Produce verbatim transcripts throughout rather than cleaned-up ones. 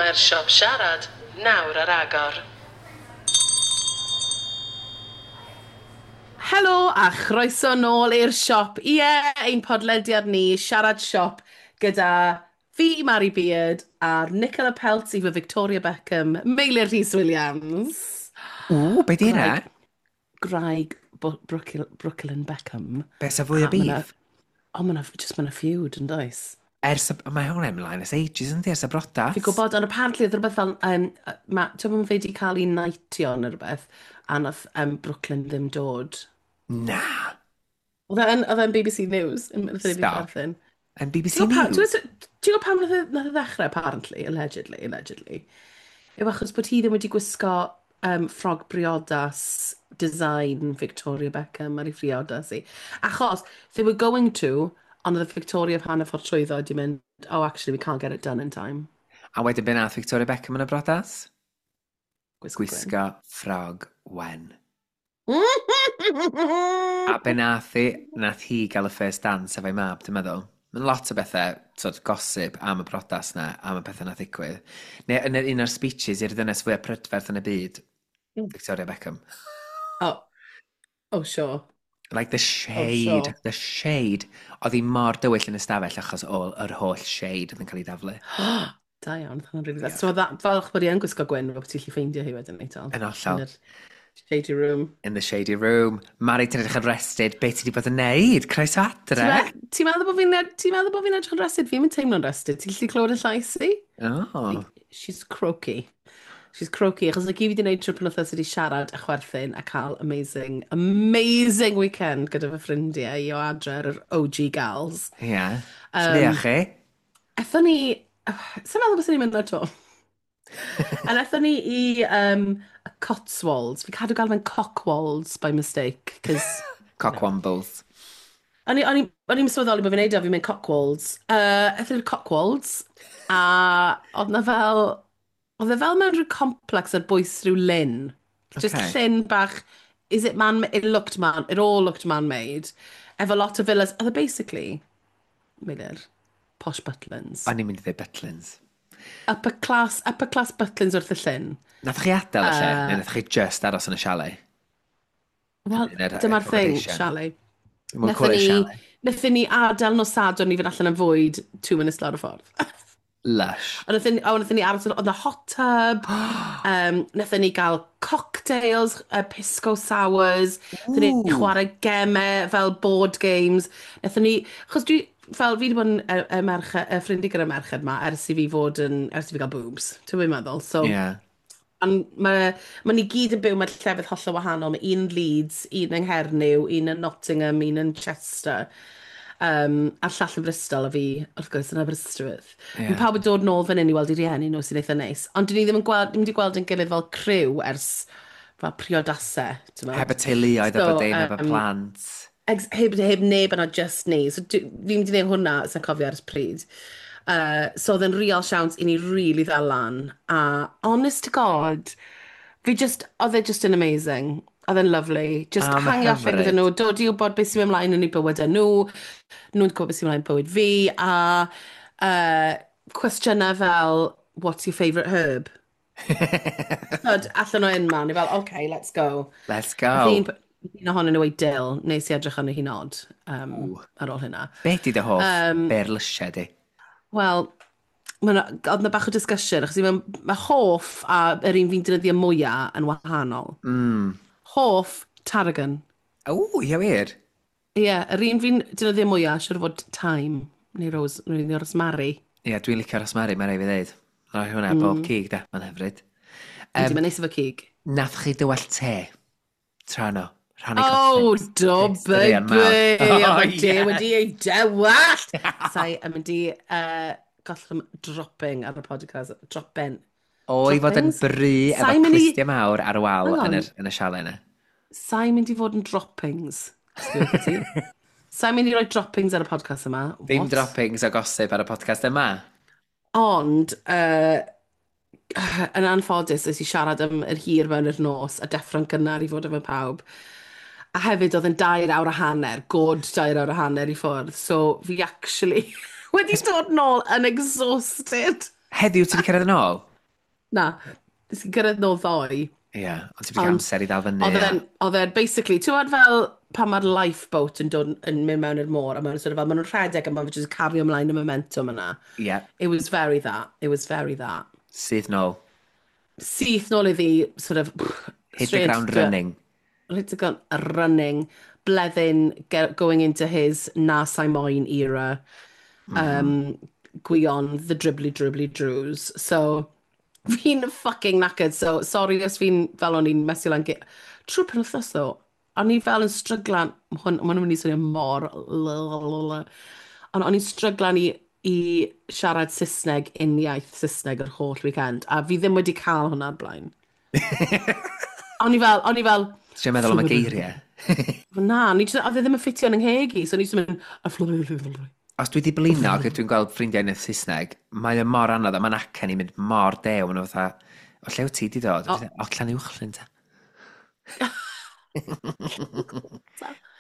Mae'r siop siarad nawr ar agor. Helo a chroeso nôl i'r siop. Ie, ein podlediad ni, Siarad Siop, gyda fi, Mari Beard, a'r Nicola Peltz efo Victoria Beckham, Meilir Rhys Williams. Ww, be di hynna? Graig Brooklyn, Brooklyn Beckham. Be sa fwy o beef? O, ma' 'na, just ma' 'na feud yn does? Ers, y, mae hwnna ymlaen ers ages yndi, ers y brodas. Fi'n gwybod, ond apparently oedd rhywbeth fel, um, ma, ti'n gwybod fe wedi cael ei knightio neu rhywbeth, a nath um, Brooklyn ddim dod. Na. Oedd e'n oedd e'n B B C News, yn nath e fi Stop. chwerthin. Yn Ti'n B B C gwybod pa- News? ti'n gwybod ti'n gwybod pam nath e nath e ddechrau, apparently, allegedly, allegedly, yw achos bod hi ddim wedi gwisgo um, ffrog briodas design Victoria Beckham ar ei phriodas hi. Achos they were going to, ond oedd Victoria pan y ffordd trwyddo wedi mynd, "Oh, actually, we can't get it done in time." A wedyn be nath Victoria Beckham yn y brodas? Gwisgo gwyn. Gwisgo ffrog wen. A be nath hi, nath hi gael y first dance efo'i mab, dwi'n meddwl. Mae'n lot o bethau, sort of gossip am y brodas na, am y pethau nath ddigwydd. Neu yn yr un o'r speeches i'r ddynes fwyaf prydferth yn y byd, Victoria Beckham. Oh, oh, sure. Like the Oh, shade, sure. the shade. Oedd hi mor dywyll yn y stafell achos o yr holl shade oedd yn cael ei daflu. Da iawn, hwnna'n really dda. Diolch. So that, falch bod hi yn gwisgo gwyn, fel bod ti'n gallu ffeindio hi wedyn ni, tal. Yn hollol. Yn yr shady room. In the shady room. Mari, ti'n edrych yn rested. Be ti wedi bod yn neud? Croeso Ti'n adre. me- ti'n meddwl bod fi'n ti'n meddwl bod fi'n edrych yn rested? Fi'n mynd teimlo'n rested. Ti'n gallu clywed y llais i? Oh. She's croaky. She's croaky, achos like, i fi wedi gwneud trwy penwythnos wedi siarad a chwerthin a cael amazing, amazing weekend gyda fy ffrindiau i o adre ar yr O G gals. Ie. Yeah. Um, Lle chi? Ethon ni, sa'n meddwl bys ni'n mynd ar to. A nethon ni i um, y Cotswolds. Fi cadw gael fe'n Cockwolds by mistake, cos Cockwombles. O'n i- o'n i- o'n i'n sylweddoli bod fi'n neud o, fi'n mynd Cockwolds. Uh, Ethon ni'r Cockwolds, a oedd na fel... Oedd e fel mewn rhyw complex ar bwys rhyw lyn. Just Okay. llyn bach. Is it man... It looked man... It all looked man-made. Efo lot o villas. Oedd e basically, Meilir, posh Butlins. O'n i'n mynd i ddweud Butlins. Upper class, upper class Butlins wrth y llyn. Nath chi adael y lle, neu nath chi just aros yn y chalet? Wel, Yn yr dyma'r thing, accommodation. chalet. Mwyn Nethon cwrdd ni, chalet. Nethon ni adael nos Sadwrn i fynd allan am fwyd two minutes lawr y ffordd. Lush. A nethon ni, o, nethon ni aros, oedd na hot tub, um, nethon ni gael cocktails, uh, pisco sours, nethon ni Ooh. chwarae gemau fel board games, nethon ni, achos dwi, fel fi wedi bod yn y, y merched, y ffrindiau gyda merched ma ers i fi fod yn, ers i fi gael boobs, ti'n gwybod meddwl, so. Yeah. Ond mae ma ni gyd yn byw mewn llefydd hollol wahanol. Mae un yn Leeds, un yng Nghernyw, un yn Nottingham, un yn Chester. Um, a'r llall yn Bristol, a fi, wrth gwrs, yn Aberystwyth. Ie. Yeah. Mae pawb yn dod nôl fan hyn i weld i rieni nhw sy'n eitha neis. Ond dyn ni ddim yn gweld, ddim wedi gweld yn gilydd fel criw ers fel priodasau, ti'n Heb y teuluoedd, so, So, efo dim, heb y yym, plant. Ex heb, heb neb yna, just ni. So dwi- fi'n mynd i wneud hwnna, sy'n cofio ers pryd. Uh, so oedd yn real siawns i ni really ddal lan. A honest to God, fi just, oedd e just yn amazing. Oedd e'n lovely. Just Ah, ma' hangio allan gyda hyfryd. nhw, dod i wybod beth sy'n mynd ymlaen yn eu bywydau nhw, nhw'n gwybod beth sy'n mynd ymlaen bywyd fi, a uh, cwestiynau fel, "What's your favourite herb?" Tyd, allan o unman, ni fel, "Okay, let's go." Let's Nath go. Un, un ohonyn nhw ei dill, nes i edrych arno hi'n odd um, ar ôl hynna. Be di dy hoff Um, berlysiau di? Wel, oedd na bach o discussion, achos mae ma hoff a yr un fi'n defnyddio mwyaf yn wahanol. Mm. Hoff, tarragon. O, ie wir. Ie, yeah, yr un fi'n defnyddio mwyaf, siwr o fod thyme, neu rose, neu rosemary. Ie, dwi'n licio rosemary, mae'n rhaid fi ddeud. Rhoi hwnna mm. bob cig, da, mae'n hyfryd. Um, Mae'n neis efo cig. Nath chi dywallt te? Tra no. Rhannu Oh, do, Straeon mawr. baby! Oh, Oedd y te yeah. wedi ei dewallt! Sai yn mynd i uh, gollwng dropping ar y podcast. Drop-in. O, i fod yn Droppings? bry efo Sai mynd i- clustiau mawr ar y wal Hang on. yn, yr, yn y chalet yna. Sa'n mynd i fod yn droppings. Sa'n mynd i roi droppings ar y podcast yma. Ddim What? droppings o gossip ar y podcast yma. Ond, uh, yn anffodus, es i siarad am yr hir mewn i'r nos a deffro'n gynnar i fod efo pawb. A hefyd oedd yn dair awr a hanner, good dair awr a hanner i ffwrdd. So fi actually wedi dod nôl yn exhausted. Heddiw ti wedi cyrraedd yn ôl? Na, nes i gyrraedd nôl ddoe. Ie, yeah, ond ti wedi cael Ond amser i ddal fyny. oedd A... e'n, oedd e'n basically, ti'n gwybod fel pan mae'r lifeboat yn dod yn mynd mewn i'r môr, a maen nhw'n sort of fel, maen nhw'n rhedeg a maen nhw'n just cario ymlaen y momentum yna. Ie, yeah, It was very that. It was very that. Syth nôl. Syth nôl iddi, sort of, Hit the straight ground to- running. Hit the ground running. Bleddyn get, going into his Na Sai Moyn era. Mm -hmm. Um, Gwion, the dribbly dribbly drews. So, fi'n fucking knackered. So, sorry os fi'n fel o'n i'n mesio lan. ge- Trwy'r penwythnos ddo, o'n i fel yn stryglan, ma' hwn, ma' hwn yn mynd i swnio mor. Ond o'n i'n stryglan i, i siarad Saesneg, uniaith Saesneg yr holl weekend. A fi ddim wedi cael hwnna o'r blaen. O'n i fel, o'n i fel. Ti'n meddwl am y geiriau? Na, o'n i jyst- oedd e ddim yn ffitio yn 'y ngheg i, so o'n i jyst yn mynd. Os dwi wedi blino ac dwi'n gweld ffrindiau yn y Saesneg, mae o mor anodd a mae'n acen i'n mynd mor dew. Maen nhw fatha, "O lle wyt ti di dod?" O. O, Llanuwchllyn ta.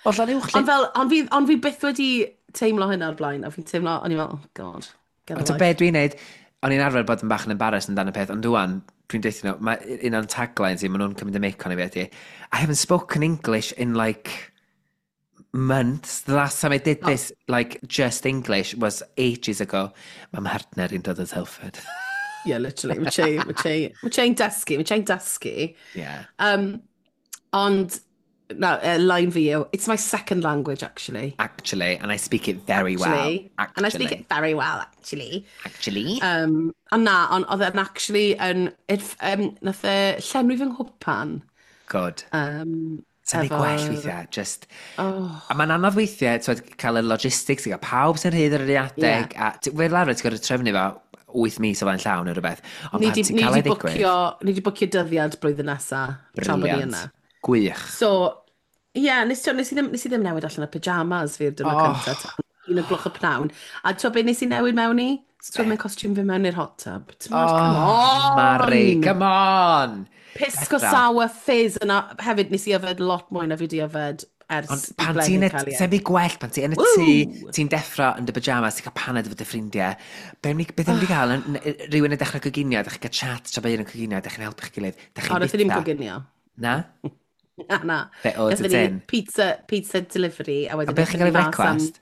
O, Llanuwchllyn. Ond fel, ond fi, ond fi byth wedi teimlo hynna o'r blaen, a fi'n teimlo, o'n i fel, "Oh God, get a Ond ta life." be dwi'n neud, o'n i'n arfer bod yn bach yn embarrassed amdano peth, ond rwan, dwi'n deutha nhw, mae un o'n taglines i, maen nhw'n cymryd y mic o'n i fi ydi, "I haven't spoken English in like months. The last time I did Oh. this, like, just English was ages ago." Mae mhartner i'n dod o Telford. Yeah, literally, mae Che, mae Che, mae Che'n dysgu, mae Che'n dysgu. Yeah. Um, ond, no, uh, line fi yw, "It's my second language, actually." Actually, and I speak it very well. Actually. Actually. And I speak it very well, actually. Actually. Um, ond na, ond oedd e'n actually, yn, it, um, nath e llenwi fy nghwpan. Good. Um, Sa'n ei efo- gwell weithiau, just. Oh, A mae'n anodd weithiau, twyd, cael y logistics, i gael pawb sy'n rhydd ar yr un adeg. Yeah. A ti- fel arfer, ti'n gorfod trefnu fo wyth mis o flaen llaw neu rhywbeth. Ond ni pan di, ti'n ni cael di ei ddigwydd, bwcio, ni di bwcio dyddiad blwyddyn nesa, tra bod ni Brilliant. yna. Gwych. So, ie, yeah, nes, ti- nes, i ddim, nes i ddim newid allan y pyjamas fi'r diwrnod Oh. cyntaf, tan un o gloch y pnawn. A ti'n beth nes i newid mewn i? Swimming costume fi mewn i'r hot tub. Ti'n oh, come Oh, on! Mari, come on! Pisco Bethra. sour fizz yna. Hefyd, nes i yfed lot mwy na fi di yfed ers Ond i pan Bleddyn ti'n... cael ei Sef i gwell, pan ti yn y Woo! tŷ, ti'n deffro yn dy pyjamas, ti'n cael paned efo dy ffrindiau. Be ni, beth ni wedi cael? Yn- yn- Rhywun yn dechrau coginio, dych chi'n cael chat tra bod un yn coginio, dych chi'n helpu'ch gilydd, dych O, chi'n nath i ddim bita. coginio. Na? Na, na. Be ordered Gathon ni in? pizza, pizza delivery, a A wedyn beth chi'n cael ei aethon ni mas am. brecwast?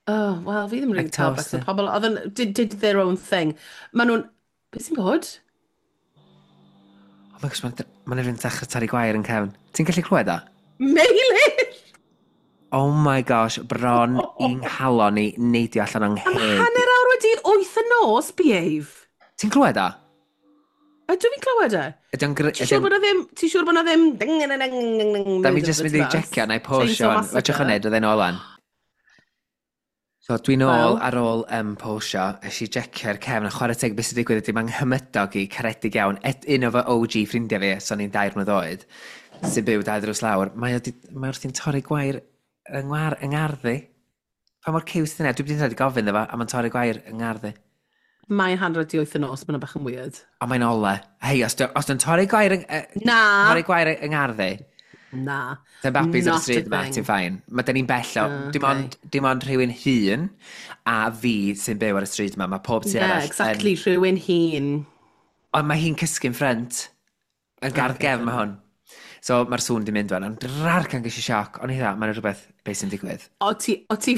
Oh, wel, fi ddim Like really cael toast, breakfast. eh? Pobl, oedd yn, did, did their own thing. Maen nhw'n. Beth sy'n bod? Oh my gosh, mae'n ma rhywun dechrau torri gwair yn cefn. Ti'n gallu clywed o? Meilir! Oh my gosh, bron i'n nghalon i neidio allan o'n Am ngheg. hanner awr wedi wyth y nos, behave. Ti'n clywed o? Ydw fi'n clywed e? Ydy o'n... gr- Ti'n ydy siŵr o'n- bod na ddim... Ti'n siŵr bod na ddim... Ding, ding, ding, ding, ding, Da mi jyst mynd i checio, na i posio. Fedrwch yn neud, oedd e'n ôl an. So dwi'n ôl Wel. ar ôl um, posio, es i jecio'r cefn, a chwarae teg beth sy'n digwydd ydy mae'n nghymydog i caredig iawn, et, un o fy O G ffrindiau fi, so ni'n dair mlynedd oed, sy'n byw dau ddrws lawr, mae o di, mae wrthi'n torri gwair yng ngwar, yng ngarddi. Pa mor cute yna, dwi wedi rhaid i gofyn iddo fo, a mae'n torri gwair yng ngarddi. Mae'n hanner wedi wyth y nos, mae'n bach yn weird. A mae'n ole. Hei, os dwi'n torri gwair yng, uh, Na! torri gwair yng ngarddi, Na. Dy'n babis ar y Not a stryd yma, thing. ti'n fine. Mae dyn ni'n bell o, Ah, dim okay. ond, dim ond rhywun hun a fi sy'n byw ar y stryd yma. Mae pob tu Yeah, arall exactly, rhywun hun. Ond mae hi'n cysgu'n ffrynt. Yn gardd Okay, gefn mae hwn. So mae'r sŵn di mynd wan, ond rarcan ges i sioc. Ond i dda, mae'n rhywbeth beth sy'n digwydd. O ti, o ti,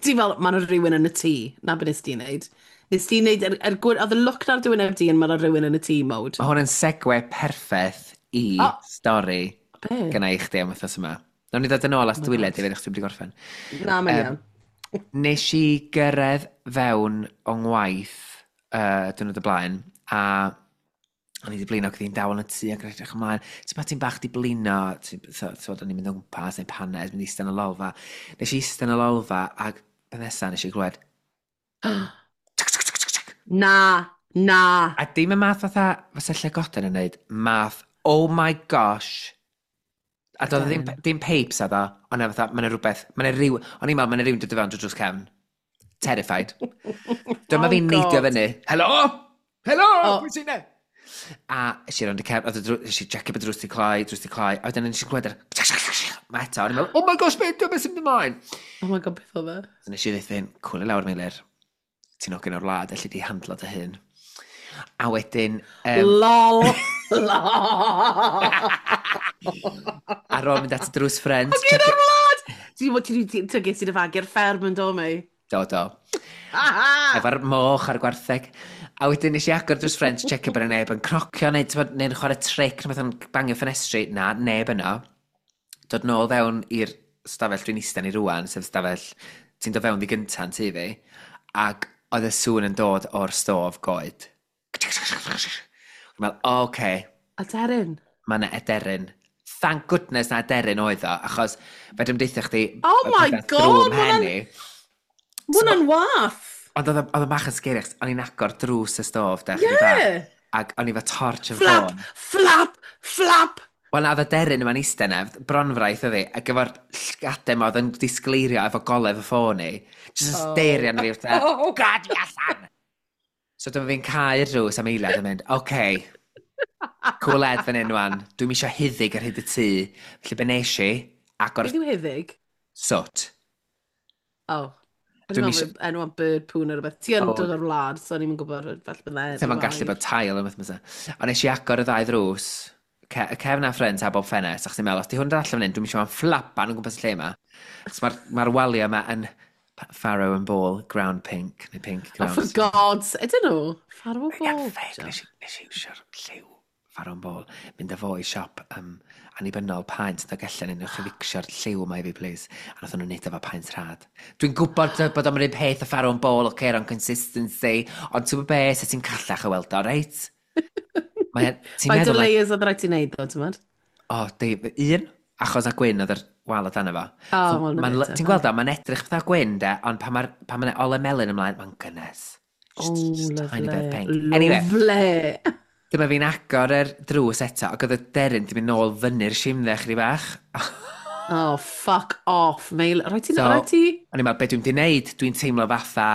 ti fel, mae'n rhywun yn y tŷ. Na beth nes ti'n neud. Nes ti'n neud, er, er, gwir- oedd y look na'r dywyn di yn mae'n rhywun yn y tŷ mode. Mae hwn yn segue perffaith i O. stori Be? gyna i chdi am wythnos yma. Nawn ni ddod yn ôl at Oh my dwyled God. i fe, chdi wedi gorffen. Na, mae'n iawn. Nes i gyrraedd fewn o'n ngwaith uh, diwrnod y blaen, a o'n i wedi blino, ac oedd hi'n dawel yn y tŷ ac yn edrych ymlaen. Ti'n ma ti'n bach di blino, ti'n so, so, o'n i'n mynd o gwmpas, neu paned, mynd i eistedd yn y lolfa. Nes i eistedd yn y lolfa, ac pen nesa nes i glywed, tsk, tsk, tsk, tsk, tsk. Na, na. A dim y math fatha, fysa llygoden yn neud, math, oh my gosh. A doedd ddim, Aderyn. dim pipes a ddo, ond na fatha, mae'n rhywbeth, mae'n rhyw, o'n i'n meddwl, mae'n rhywun dod i fewn drwy drws cefn. Terrified. Dyma Oh fi'n neidio God. fyny. "Helo! Helo! Oh. Pwy sy'n ne?" A es i rownd y cefn, oedd y drw- nes i checio bod drws di cloi, drws di cloi, a wedyn nes i glywed yr mae eto, o'n i'n meddwl, "Oh my gosh, beth beth sy'n mynd ymlaen?" Oh my God, beth oedd e? So nes i ddweud, "Cwli lawr, Meilir, ti'n ogyn o'r wlad, elli di handlo dy hun." A wedyn... Um, LOL! LOL! Ar ôl mynd at y drws ffrent. Ac un o'r wlad! Ti'n ti, ti, ti, ges i dy fagu'r fferm yn do mi? Do, do. Efo'r moch a'r gwartheg. A wedyn nes i agor drws ffrent, checio bod y neb yn crocio neu, t'mod, neu'n chwarae tric, neu beth yn bangio ffenestri. Na, neb yno. Dod nôl fewn i'r stafell dwi'n eistedd ni rwan, sef stafell ti'n dod fewn di gynta'n tŷ fi, ac oedd y sŵn yn dod o'r stof goed. Dwi'n meddwl, o, oce, Aderyn. Mae yna aderyn. Thank goodness na aderyn oedd o, achos fe dwi'n deithio chdi Oh my God, drwy mhen i. Ma' hwnna'n wath. Ond oedd o- oedd o bach yn scary, achos o'n i'n agor drws y stof, de, chydig bach, Yeah. ac o'n i efo torch yn Flap, ffôn. Flap, flap. Wel, na, oedd y deryn yma'n eistedd yna, bronfraith oedd hi, ac efo'r llgadau yma oedd yn disgleirio efo golef y ffôn i. Just yn Oh. stario arno fi, fatha, Oh. "Gad fi allan!" So dyma fi'n cau'r drws am eiliad yn mynd, oce, okay, cool ed fan hyn wan, dwi'm eisiau huddug ar hyd y tŷ. Felly be nes i, agor Beth yw huddug? Soot. Oh. Dwi'n Dwi'm meddwl isio- bod enw am bird poo neu rhywbeth. Ti yn Oh. dod o'r wlad, so o'n i'n gwybod falle bydd Sef o'n gallu bod tail yn beth mysa. Ond nes i agor y ddau ddrws, ce y cefn a ffrynt a bob ffenest, achos i'n meddwl, os di hwn dod allan fan hyn, dwi'm eisiau fo'n fflapan o gwmpas y lle yma. Achos mae'r ma waliau yma yn Farrow and Ball, ground pink, neu pink Oh, ground. for God's... Ydyn nhw? Farrow Ie, Ball. ffeg, nes i, nes i iwsio'r lliw Farrow and Ball. Mynd â fo i siop um, annibynnol paent yn Dolgellau, neu newch chi ficsio'r lliw yma i fi, please. A nath nhw'n neud efo paent rhad. Dwi'n gwybod bod o'n un peth o Farrow and Ball, oce, okay, consistency, ond ti'n gwybod be, se ti'n callach o weld o, reit? Mae, ti'n Faint o meddwl, mae- layers oedd rhaid ti wneud, ddo, ti'n meddwl? O, di, un, achos a gwyn oedd yr wal o dan efo. O, So, wel, na ma'n fe te, ti'n gweld o, mae'n edrych fatha gwyn, de, ond pan mae'r pan mae'n ole melyn ymlaen, mae'n gynnes. Just, Oh, just tiny bit of lovely. pink. Anyway, Lovely. dyma fi'n agor yr drws eto, ac oedd y deryn di mynd nôl fyny'r simdde chydig bach. Oh, fuck off, Meil. Rhaid ti... So- Rhaid ti... O'n i'n meddwl, be dwi'n di wneud? Dwi'n teimlo fatha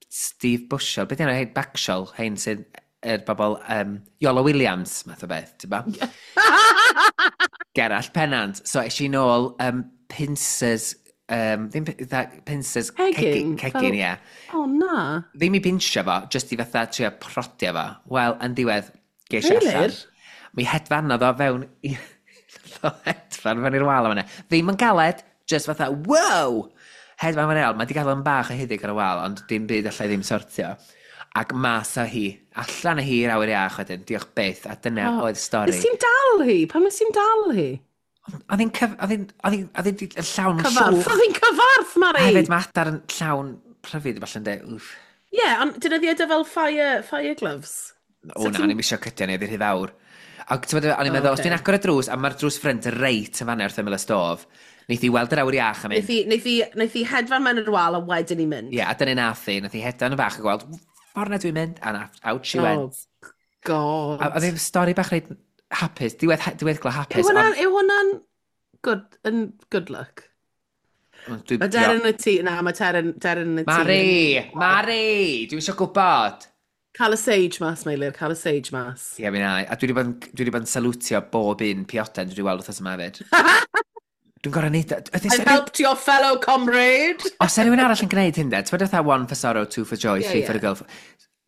Steve Bushell. Be di enw hein? Backshall, hein sydd yr bobl um, Iolo Williams, math o beth, ti'n ba? Gerallt Pennant. So es i nôl um, pincers, um, ddim pi- dda- pincers Cegin, cegin, cegin, fel- ie. Oh, na. Ddim i pinsio fo, just i fatha trio prodio fo. Wel, yn diwedd, ges i allan. Meilir? Mi hedfanodd o fewn i... Nath o hedfan fewn i'r wal yma. Ddim yn galed, just fatha, wow! Hedfan fewn i'r wal. Mae di gael yn bach o huddug ar y wal, ond dim byd allai ddim sortio. Ac mas â hi, allan â hi i'r awyr iach wedyn, diolch byth, a dyna Oh, oedd stori. Nes ti'n dal hi? Pam nes ti'n dal hi? Oedd hi'n cyf... Oedd hi'n... Oedd hi'n... Oedd hi'n llawn Cyfarth. llwch. Oedd hi'n cyfarth, Mari! A hefyd mae adar yn llawn pryfid, falle'n dweud, wff. Ie, yeah, ond dyna ddi fel fire, fire gloves. O na, o'n i'm isio cydio ni, oedd hi'n rhy fawr. Ac ti'n meddwl, o'n i'n O, meddwl, os ocê. dwi'n agor y drws, a mae'r drws ffrynt reit yn fanna wrth ymyl y stof, neith hi weld yr awyr iach a mynd, Neith hi, neith hi, neith hi hedfan mewn i'r wal a wedyn i mynd. ie, a dyna nath hi, nath hi hedfan yn fach a gweld, ffordd na dwi'n mynd, and out she Oh, went. God. A oedd hi'n stori bach reit hapus, diwedd, diweddglo Yw hapus. hwnna'n, yw hwnna'n good, yn good luck? ond- dwi- Mae Deryn y tŷ, na, mae Deryn, Deryn yn y tŷ. Mari! Mari! Dwi'n eisiau gwybod! Cael y sage mas, Meilir, cael y sage mas. Ie, mi na. A dwi wedi bod yn, dwi wedi bod yn salwtio bob un pioden dwi wedi weld wythnos yma hefyd. Dwi'n gorau neud... o. Ydy- I've helped your fellow comrade. Os yna rhywun arall yn gwneud hyn de, ti'n fatha one for sorrow, two for joy, Ie, three for ie. the girl.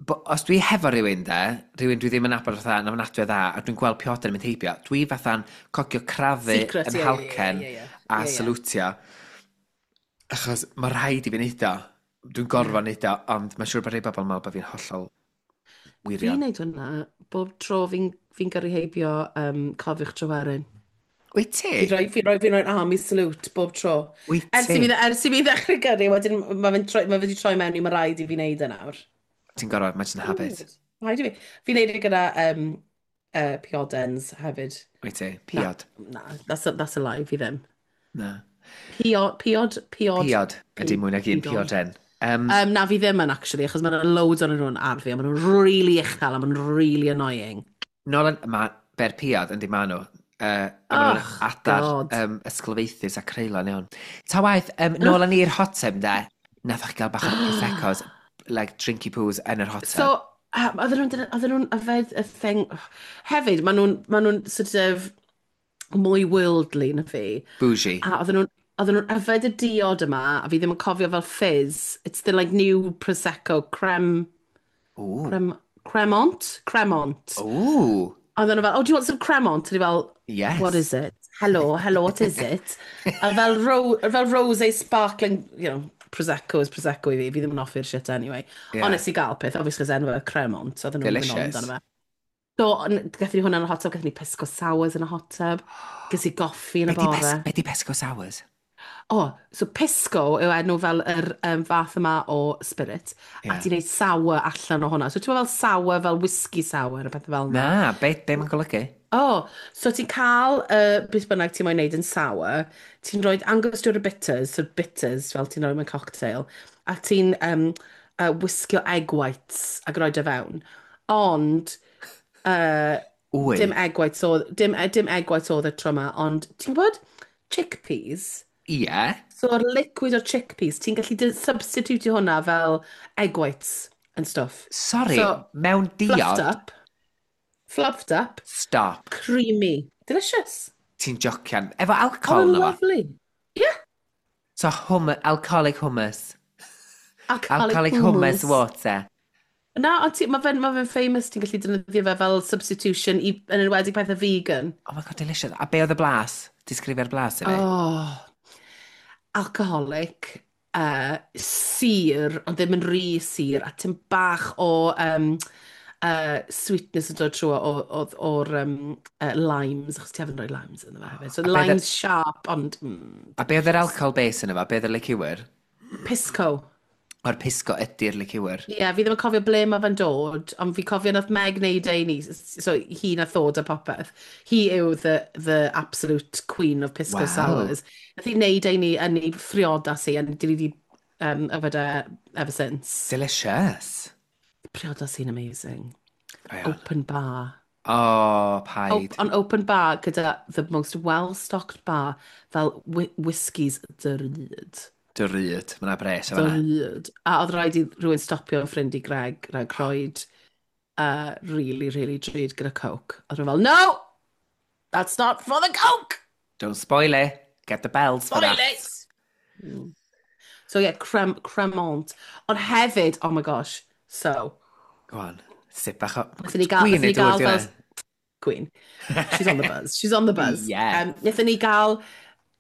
Bo, os dwi hefo rhywun de, rhywun dwi ddim yn nabod fatha, yn ofnadwy o dda, a dwi'n gweld pioden yn mynd heibio, dwi fatha'n cogio crafu Secret, yn ie, ie, halcen ie, ie, ie. a Ie, ie. salwtio. Achos mae rhaid i fi wneud o. Dwi'n gorfod wneud o, ond mae'n siŵr bod rhai bobl yn meddwl bod fi'n hollol Fi'n wirion. neud hwnna bob tro fi'n fi gyrru heibio um, Cofiwch Tryweryn. Wyt ti? Fi'n rhoi, fi'n rhoi, fi'n rhoi army salute bob tro. Wyt Ers i ti? mi, ers i mi ddechrau gyrru, wedyn mae fe'n troi, ma fe wedi troi mewn i mae rhaid i fi wneud e nawr. Ti'n gorfod, mae'n just yn habit. Rhaid i fi. Fi'n neud e gyda um, uh, piodens hefyd. Wyt ti? Piod. Na, that's a, that's a lie, fi ddim. Na. Piod, piod, piod. Piod ydy mwy nag un Piodon. pioden. Um, Um, na, fi ddim yn, actually, achos mae'n loads o'n nhw'n ardd fi, a maen nhw'n really uchel, a maen nhw'n really annoying. Nôl yn... Ma, ber piod yndi ma nhw. Uh, a maen nhw'n Oh, adar God. um, ysglyfaethus a creulon iawn. Ta waeth, um, nôl â ni i'r hot tub de, nath chi gael bach o Proseccos, like drinky poos yn yr hot tub. So, um, oedden nhw'n oedden nhw'n yfed y thing... Hefyd, maen nhw'n ma nhw'n sort of mwy worldly na fi. Bougie. A oedden nhw'n oedden nhw'n yfed y diod yma, a fi ddim yn cofio fel fizz. It's the like new Prosecco creme, Ooh. creme, Cremont? Cremont. Ooh, Oedden nhw fel, "Oh, do you want some Cremont?" A ni fel, "What yes. is it? Hello, hello, what is it?" A fel, ro fel rosé sparkling, you know, Prosecco is Prosecco i fi, fi ddim yn hoffi'r shit anyway. Ond Yeah. nes i gael peth, obviously, cos enw fe Cremont, so oedden nhw'n mynd on Delicious. amdano fe. So, gathon ni hwnna yn y hot tub, gathon ni pisco sours yn y hot tub, ges i goffi yn Be y di, pes bore. be di pesco sours? O, oh, so pisco yw enw fel yr um, fath yma o spirit, a Yeah. ti'n neud sour allan o hwnna. So ti'n meddwl fel sour, fel whisky sour, a pethau fel yna. Na, be, be mae'n golygu? O, oh, so ti'n cael uh, beth bynnag ti'n moyn neud yn sour, ti'n rhoi Angostura bitters, so bitters fel ti'n rhoi mewn cocktail, a ti'n um, uh, whisgio egg whites ac rhoi dy fewn. Ond, uh, Wy. dim egg whites oedd, dim, dim egg whites oedd y tro yma, ond ti'n gwybod chickpeas? Ie. So, o'r liquid o'r chickpeas, ti'n gallu dy- substitute hwnna fel egg whites and stuff. Sorry, So, mewn fluffed diod, up, fluffed up, stop. creamy, delicious. Ti'n jocian. Efo Oh, alcohol and na fo. lovely. Yeah, So, hum, alcoholic hummus. alcoholic Alcoholic hummus hummus. water. Na, ond ti- mae fe'n ma fe famous, ti'n gallu defnyddio fe fel substitution i, yn enwedig pethau vegan. Oh my God, delicious. A be oedd y blas? Disgrifio'r blas i fi. Oh, alcoholic, uh, sur, ond ddim yn rhy sur, a tim bach o um, uh, sweetness yn dod trwy o'r um, uh, limes, achos ti haven't rhoi limes ynddo fe hefyd. So A be oedd limes sharp, ond mm, a be oedd yr delicious. alcohol base yna fo? Be oedd y liqueur? Pisco. O'r pisco ydy'r liqueur. Ie, yeah, fi ddim yn cofio ble mae fe'n dod, ond fi cofio nath Meg wneud e i ni, so hi nath ddod a popeth. Hi yw the, the absolute queen of pisco Wow. sours. Nath hi wneud e i ni yn ei phriodas hi, and dwi wedi um, yfed e ever since. Delicious. Priodas hi'n amazing. Iawn. Open bar. O, Op paid. on open bar gyda the most well-stocked bar fel whi whiskies drud. Drud. Mae 'na bres o fan'na. Drud. A oedd rhaid i rhywun stopio yn ffrind i Greg, rhaid croed uh, really, really drud gyda Coke. A rhywun fel, "No! That's not for the Coke! Don't spoil it. Get the bells for Spoil that. it!" Mm. So yeah, crem, cremant. Ond hefyd, oh my gosh, so, Go on. Sip bach o wnaethon ni gael, gwin wnaethon neu ni dŵr, gael di fel hwnna? Queen. She's on the buzz. She's on the buzz. Yeah. Um, wnaethon ni gael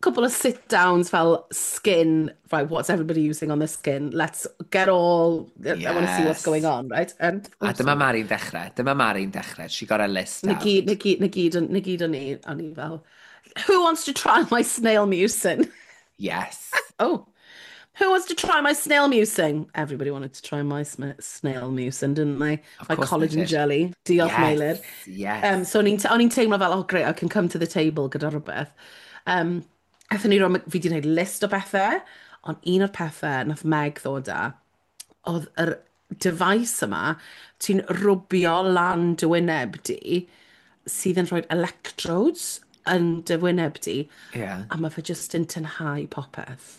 couple of sit-downs fel skin, right, what's everybody using on the skin? Let's get all, I want to see what's going Yes. on, right? And, A oh, dyma sorry. Mari'n dechrau. Dyma Mari'n dechrau. She got her list Na gyd, out. na gyd, na gyd, na gyd o'n i, o'n i fel, "Who wants to try my snail mucin?" Yes. Oh, "Who wants to try my snail mucin?" Everybody wanted to try my sm snail mucin, didn't they? Of My course they collagen did. jelly. Diolch, Yes. Meilir. Um, Yes. so o'n i'n o'n i'n teimlo fel, "Oh great, I can come to the table gyda rhywbeth." Um, aethon ni roi, fi wedi gwneud list o bethau, ond un o'r pethau nath Meg ddod â, oedd yr device yma, ti'n rwbio lan dy wyneb di, sydd yn rhoi electrodes yn dy wyneb di, Yeah. a mae fe jyst yn tynhau popeth.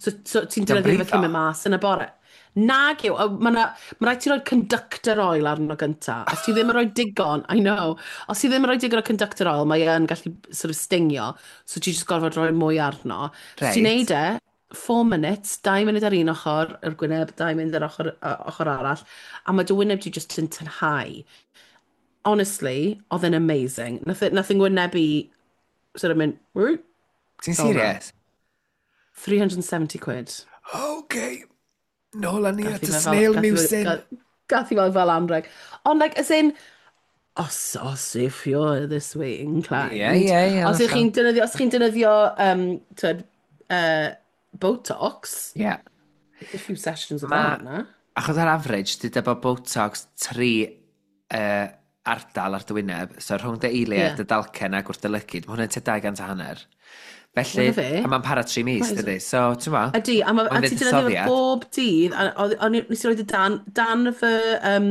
So, so ti'n Diolch defnyddio fe brifo. cyn mynd mas yn y bore. Nag yw, mae ma rhaid ti roi conductor oil arno gynta. Os ti ddim yn rhoi digon, I know, os ti ddim yn rhoi digon o conductor oil, mae yn gallu sort of stingio, so ti jyst gorfod rhoi mwy arno. So ti'n Reit. neud e, four minutes, dau munud ar un ochr, yr gwyneb, dau munud ar ochr, uh, ochr arall, a mae dy wyneb ti jyst yn tynhau. Honestly, oedd e'n amazing. Nath, nath yng ngwyneb i sort of mynd, "Woo," Ti'n fel 'na. serious? three hundred and seventy quid. Okay. Nôl â ni Gath at i y fe fel, snail gath i fe, mucin. gath, gath i fel fel anreg. Ond like, as in, os, os if you're this way Ie, inclined, ie, ie, os ych hollol. chi'n defnyddio, os chi'n defnyddio, um, twyd, uh, Botox, Ie. it's a few sessions of Ma, that, na? achos ar average, dyda bod Botox tri uh, ardal ar dy wyneb, so rhwng dy eiliau, Yeah. dy dalcen ac wrth dy lygid, mae hwnna'n tua dau gant a hanner. Wel, Felly, na fe. a mae'n para tri mis, Right. dydy. So, ti'n ma, Ydy, a, ma, a mae'n ti'n defnyddio fe fuddsoddiad. bob dydd, a oedd- o'n i nes i roed y dan, dan fy um,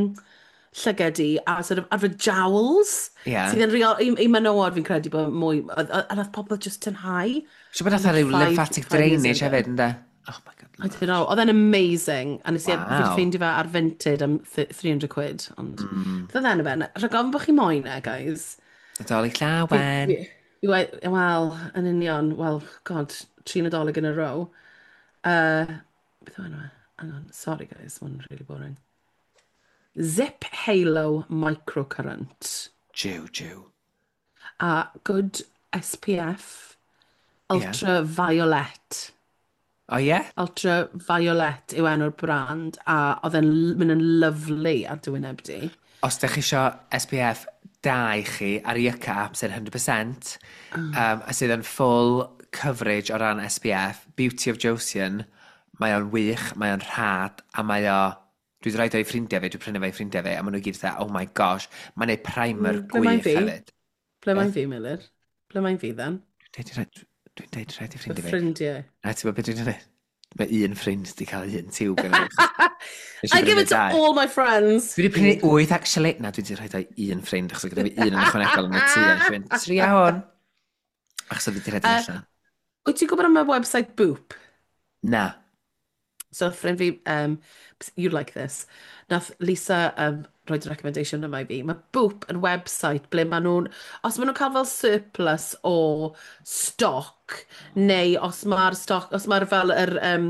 llyged i, a sort of, ar fy jowls, Ie. sydd yn real, i, i menywod fi'n credu bod mwy, a, a, a nath pobl just tynhau. Siwr bod fatha Like rhyw five, lymphatic five years drainage ago. hefyd, ynddo? Oh my God, I don't lush. know, oedd e'n amazing. A nes i, fi wedi Wow. ffeindio fe ar Vinted am three hundred quid, ond Mm. beth oedd enw fe? Rhaid gofyn bod chi moyn e, guys. Nadolig Fi, llawen. fi, fi, wel, yn union, well, God, tri Nadolig in a row. Uh, beth oedd enw fe? Hang on, sorry guys, mae'n really boring. Zip Halo Microcurrent. Jiw, jiw. A good S P F Ie. Yeah. Ultraviolet. O ie? Yeah? Ultraviolet yw enw'r brand, a oedd e'n mynd yn lyfli ar dy wyneb di. Os ydych chi isio S P F da i chi ar Yucca app sy'n one hundred percent, oh. um, a sydd yn full coverage o ran S P F, Beauty of Joseon, mae o'n wych, mae o'n rhad, a mae o... Dwi wedi rhaid o'i ffrindiau fi, dwi'n prynu fe i ffrindiau fi, a maen nhw gyd dda, oh my gosh, mae'n neud primer mm, ble gwych hefyd. Ble mae'n fi, Miller? Ble mae'n fi, then? Dwi'n deud, dwi'n deud rhaid i ffrindiau fi. Ffrindiau. Na, ti'n gwybod beth dwi'n dweud? Mae un ffrind wedi cael un tiwb gen i. I give it to all my friends. Dwi wedi prynu wyth, actually. Na, dwi wedi rhoi dau un ffrind, achos gyda fi un yn ychwanegol yn y tŷ. A nes i fynd, tria hwn. Achos oedd wedi rhedeg allan. Wyt ti'n gwybod am y website Boop? Na. So, ffrind fi, um, you like this, nath Lisa um, roed y recommendation yma i fi. Mae Boop yn website ble maen nhw'n, os maen nhw'n cael fel surplus o stoc, neu os mae'r stoc, os mae'r fel yr, um,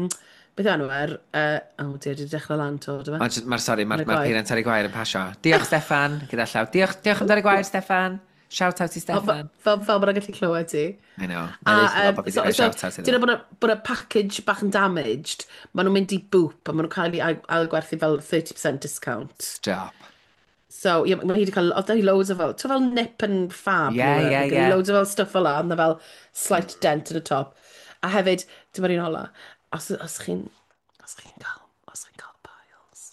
beth enw er, uh, oh dear, dwi wedi dechrau lan to, do fe? Mae'r, ma sorry, mae'r ma peiriant ar ei gwair yn pasio. Diolch, Steffan, gyda llaw. Diolch, diolch am dar ei gwair, Steffan. Shout out i Steffan. Fel, fel bod o'n gallu clywed ti. I know. A, um, so, so, dyna bod y, bod y package bach yn damaged, maen nhw'n mynd i Boop, a maen nhw'n cael ei ailgwerthu fel thirty percent discount. Stop. So, yeah, mae hi wedi cael, oedd hi loads o fel, ti'n fel nip and fab. Yeah, yeah, yeah. Loads o fel stuff fel la, ond fel slight dent at the top. A hefyd, dyma'r un ola, os, os chi'n, os chi'n cael, os chi'n cael piles.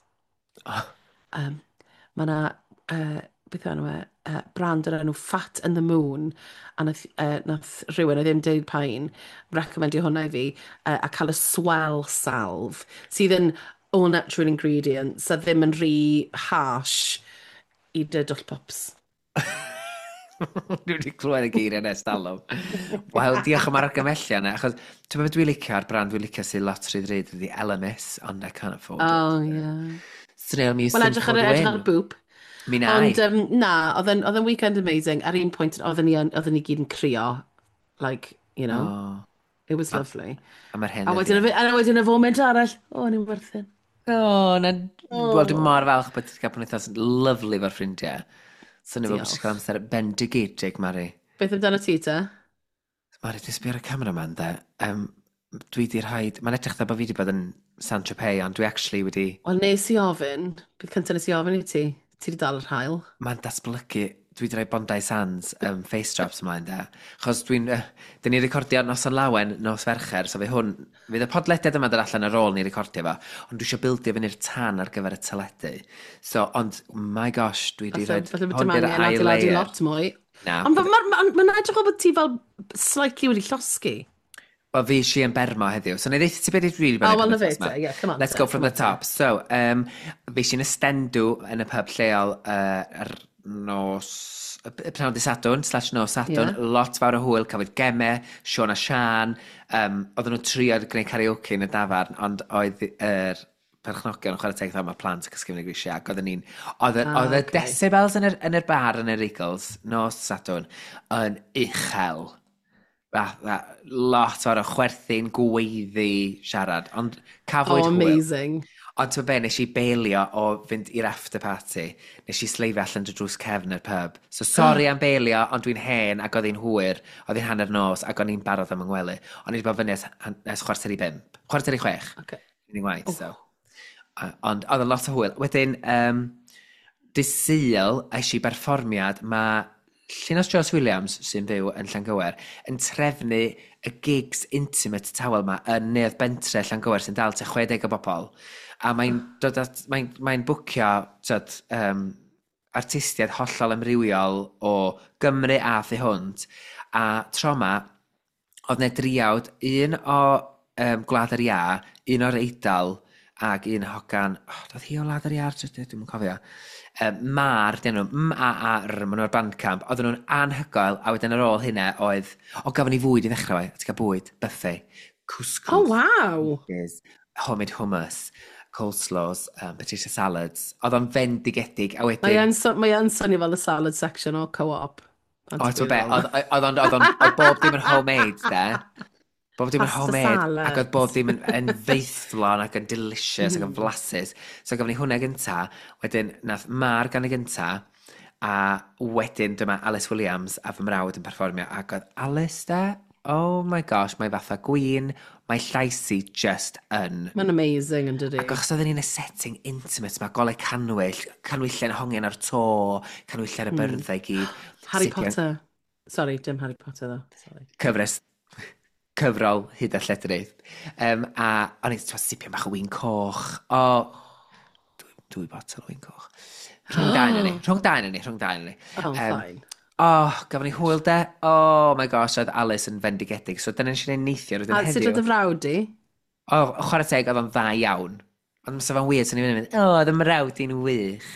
Oh. Um, mae na, uh, beth yw enw e, uh, brand o'r enw Fat and the Moon, a nath, uh, nath rhywun, oedd ddim deud pain, recommendio hwnna i fi, uh, a cael y swell salve, sydd yn all natural ingredients, a ddim yn rhy harsh i dy dwll pops. Dwi wedi clywed y geiriau nes talwm. Wel, diolch am argymellion yna, achos ti'n meddwl dwi'n licio ar brand dwi'n licio sy'n lot rhy ddrud ydi Elemis, ond I can't afford it. Oh, yeah. Snail Mucin Wel, edrych ar, edrych ar Boop. Mi na. Ond um, na, oedd yn weekend amazing. Ar un pwynt, oedden ni, oedden ni gyd yn crio. Like, you know. Oh. It was lovely. A, a mae'r hen A wedyn, a wedyn y foment arall, o, oh, ni'n werthyn. O, oh, na... Oh. Wel, dwi'n mor falch bod ti'n cael penwythnos lyfli fo'r ffrindiau. Swnio fel bod ti'n cael amser bendigedig, Mari. Beth amdano ti, te? Mari, dwi'n sbio ar y camera ma'n de. Um, dwi di rhaid... Mae'n edrych dda bod fi wedi bod yn Saint-Tropez, ond dwi actually wedi... Wel, nes i ofyn, bydd cyntaf nes i ofyn i ti, ti wedi dal yr haul. Mae'n datblygu... Dwi wedi rhoi Bondi Sands um, face drops ymlaen, de. Chos dwi'n... Uh, dyn ni'n recordio Noson Lawen nos Fercher, so fe hwn... Fydd y podlediad yma dod allan ar ôl ni recordio fo, ond dwi eisiau bildio fyny'r tan ar gyfer y teledu. So, ond, my gosh, dwi wedi rhoi... Falle bod dim angen adeiladu lot mwy. Na. Ond mae'n ma, ma, ma edrych o bod ti fel slightly wedi llosgi. Wel, fi eisiau yn Bermo heddiw. So, na i ddeutha ti beth i really bod. Oh, well, na fe te, yeah, come on. Let's go from the top. So, um, fi eisiau'n ystendw yn y pub lleol uh, ar nos... Y pnawn dydd Sadwrn, slash nos Sadwrn, yeah. Lot fawr o hwyl, cafwyd gemau, Siôn a Sian, um, oedden nhw'n trio gwneud karaoke yn y dafarn, ond oedd yr perchnogion yn chwarae teg dda, mae plant yn cysgu fyny grisiau, ac oedden ni'n... Oedd ah, oedd y okay. decibels yn yr, yn yr bar yn yr Eagles, nos Sadwrn, yn uchel. Fatha, lot o'r chwerthin, gweiddi, siarad, ond cafwyd oh, hwyl. Amazing. Ond ti'n be, nes i beilio o fynd i'r after party. Nes i sleifio allan dy drws cefn yr pub. So sorry am beilio, ond dwi'n hen ac oedd hi'n hwyr. Oedd hi'n hanner nos ac o'n i'n barod am yng ngwely. O'n i wedi bod fyny ers, ers chwarter i bump. Chwarter i chwech. Okay. Unig waith, oh. So. Ond oedd yn lot o hwyl. Wedyn, um, dydd Sul, es i berfformiad, mae Llinos Jones Williams, sy'n byw yn Llangywer, yn trefnu y gigs intimate tawel ma yn Neuadd Bentre Llangywer sy'n dal tua chwe deg o bobl. A mae'n dod at, mae'n mae'n bwcio tyd, um, artistiaid hollol amrywiol o Gymru a thu hwnt. A tro ma, oedd 'na driawd, un o um, Gwlad yr Iâ, un o'r Eidal, ac un hogan, oh, doedd hi o Wlad yr Iâ, dwi'm yn cofio. Um, Mar, dyn nhw, M A A R, maen nhw ar Bandcamp, oedden nhw'n anhygoel, a wedyn ar ôl hynna oedd, o, gafon ni fwyd i ddechrau, ti'n cael bwyd, buffet, couscous. Oh, wow! Homemade hummus, coleslaws, um, potato salads. Oedd o'n fendigedig, a wedyn... Mae yn so, mae yn swnio fel y salad section o Co-op. O, ti'n be, oedd o'n, oedd o'n, oedd bob dim yn homemade, de. Bob dim yn Pasta homemade, ac salad. oedd bob dim yn, yn feithlon ac yn delicious ac yn Mm. flasus. So gafon ni hwnna gynta, wedyn nath Mar gan y gynta, a wedyn dyma Alice Williams a fy mrawd yn perfformio, ac oedd Alice de, oh my gosh, mae fatha gwin, mae llais hi just yn. Mae'n amazing yn dydi? Ac achos oedden ni'n y setting intimate, mae golau canwyll, canwyllau yn hongian ar to, canwyllau ar y Mm. byrddau i gyd. Harry Sipian- Potter. Sorry, dim Harry Potter ddo. Sorry. Cyfres cyfrol hyd a lledrith. Um, a o'n i'n sipian bach o win coch. O, dwy, dwy botel o win coch. Rhwng dau yn ni. Rhwng dau yn ni. Rhwng dau yn ni. Oh, Yym, fine. Oh, gafon ni hwyl de. Oh my gosh, oedd Alice yn fendigedig. So dyna nes i wneud neithiwr. Wedyn A sut heddiw. oedd y frawd di? O, chwarae teg, oedd o'n dda iawn. Ond fysa fo'n weird, so ni'n mynd, o, oedd y mrawd i'n wych.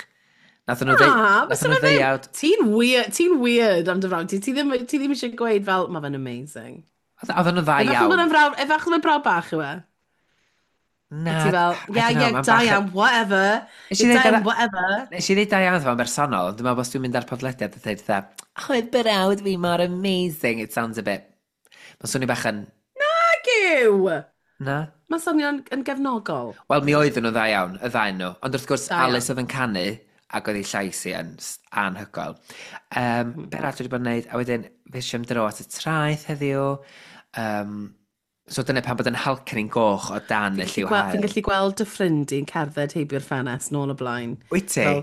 Nathon nhw Na, ddeu- fysa nathon nhw fe ddim. ddeuawd. Ti'n weird, ti'n weird am dy frawd ti. Ti ddim, ti ddim eisiau gweud fel, mae fe'n amazing. Oedd oedden nhw'n dda Efallai iawn. bod e'n frawd, efallai bod brawd bach yw e. Na, A ti fel, I yeah, don't know, yeah, ma'n da bach yn- iawn, whatever. Nes i Yeah, ddeud da iawn, ar- whatever. Nes i ddeud da iawn fo'n bersonol, ond dwi'n meddwl os dwi'n mynd ar podlediad a dweud fatha, oh, oedd brawd fi mor amazing, it sounds a bit. Mae'n swnio bach yn, Thank you! na? Mae'n swnio'n yn gefnogol. Wel, mi oedden nhw dda iawn, y ddau nhw. Ond wrth gwrs, Da iawn. Alice oedd yn canu, ac oedd ei llais hi yn s- anhygoel. Um, mm. Be arall dwi wedi bod yn neud? A wedyn, fe am dro at y traeth heddiw. Um, so dyna pan bod yn halcyn goch o dan y lliw Fi'n haul. gallu gweld dy ffrind i'n cerdded heibio'r ffenest nôl o blaen. Wyt ti? Fel,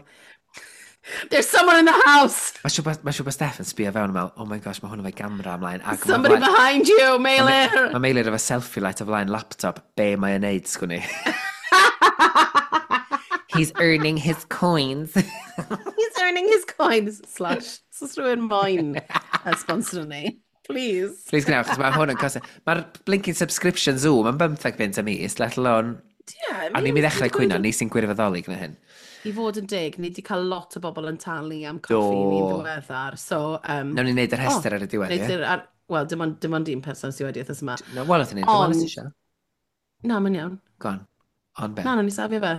"There's someone in the house! Mae siŵr bod- ma' siŵr bod Steph yn sbio fewn yn meddwl, "Oh my gosh, mae hwn efo'i gamera ymlaen." Ac ma' Somebody flaen- behind you, Meilir! Mae Meilir efo selfie light o flaen laptop. Be mae e'n neud, sgwn i? He's earning his coins. He's earning his coins. Slash. So os rhywun moyn uh, sponsor ni. Please. Please gwnewch, achos mae hwn yn cost. Mae'r blinking subscription Zoom yn bymtheg bunt y mis, let alone. Yeah, A ni'n mynd i ddechrau cwyno, ni sy'n gwirfoddoli gyda hyn. I fod yn deg, ni wedi cael lot o bobl yn talu am coffi Do. ni'n ddiweddar. So, um, Nawn ni wneud yr rhestr ar y diwedd, wneud ie? yr- ar- Wel, dim ond, dim ond un person sydd wedi wythnos yma. No, wel, oedd ni'n dwi'n Ond- meddwl eisiau. Na, mae'n iawn. Go on. On be? Na, nawn ni safio fe.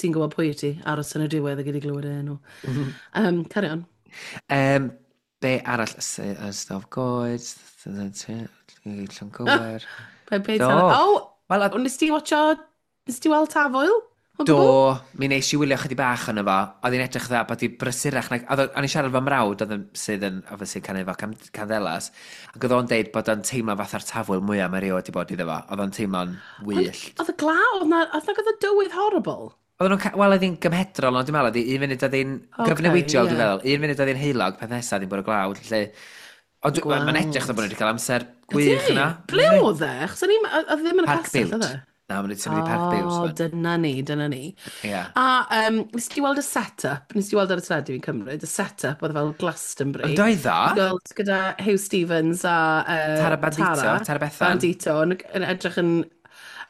Ti'n gwybod pwy wyt ti, aros yn y diwedd a gyd i glywed e enw. Um, carry on. Um, be arall sydd yn stof goed, Llangwyr. Pe, pe, Do. Oh, Wel, a- nes ti watcho, nes ti weld Tafwyl? O Do, gwbl? mi nes i wylio chydig bach ono fo. Oedd hi'n edrych dda bod hi brysurach. Na, oedd o- o'n i'n siarad efo mrawd oedd yn, sydd yn, obviously, canu efo cam, Candelas. Ac oedd o'n deud bod o'n teimlo fatha'r tafwyl mwyaf mae erioed wedi bod iddo fo. Oedd o'n teimlo'n wyllt. Oedd y glaw, oedd na, oedd na oedd y dywydd horrible. Oedden nhw'n, ca- wel, oedd hi'n gymhedrol, ond dwi'n meddwl, oedd hi un munud oedd hi'n Ocê, gyfnewidiol, dwi'n ie. feddwl. Un munud oedd hi'n heulog, peth nesaf oedd hi'n bwrw glaw, felly. Ond dwi- mae'n edrych fel bod nhw wedi cael amser gwych yna. Ble oedd e? Achos o'n i'n, oedd e ddim yn y Parc castell, Biwt. oedd e? Na, maen nhw wedi symud i Parc Biwt. O, wan. dyna ni, dyna ni. Ie. A um, nes ti weld y set-up, nes ti weld ar y teledu fi'n cymryd, y set-up oedd fel Glastonbury. Ond oedd o? Gweld gyda Huw Stephens a uh, Tara Bandito, Tara, Tara Bethan. Bandito yn, yn edrych yn.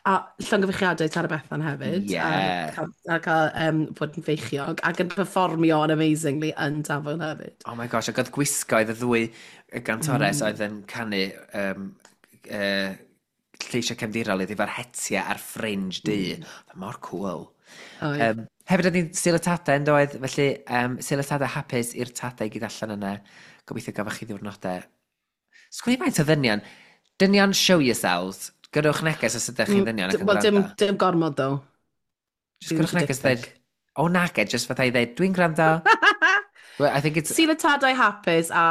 A llongyfarchiadau Tara Bethan hefyd. Ie. A cael, a cael um, bod yn feichiog ac yn performio yn amazingly yn Tafwyl hefyd. Oh my gosh, ac oedd gwisgoedd y ddwy gantores mm. oedd yn canu um, uh, lleisiau cefndirol iddi efo'r hetiau a'r fringe du. Mm. Oedd mor cool. Oedd. Um, hefyd oedd hi'n Sul y Tadau yn doedd, felly um, Sul y Tadau hapus i'r tadau i gyd allan yna. Gobeithio gafoch chi ddiwrnodau. Sgwn i faint o ddynion. Dynion, show yourselves. Gyrrwch neges os ydych chi'n ddynion ac yn Wel, dim, gwrando. dim gormod, ddo. Just gyrrwch dim neges dweud, o nage, just fatha i dweud, "Dwi'n gwrando." Well, I think it's. Sul y Tadau hapus a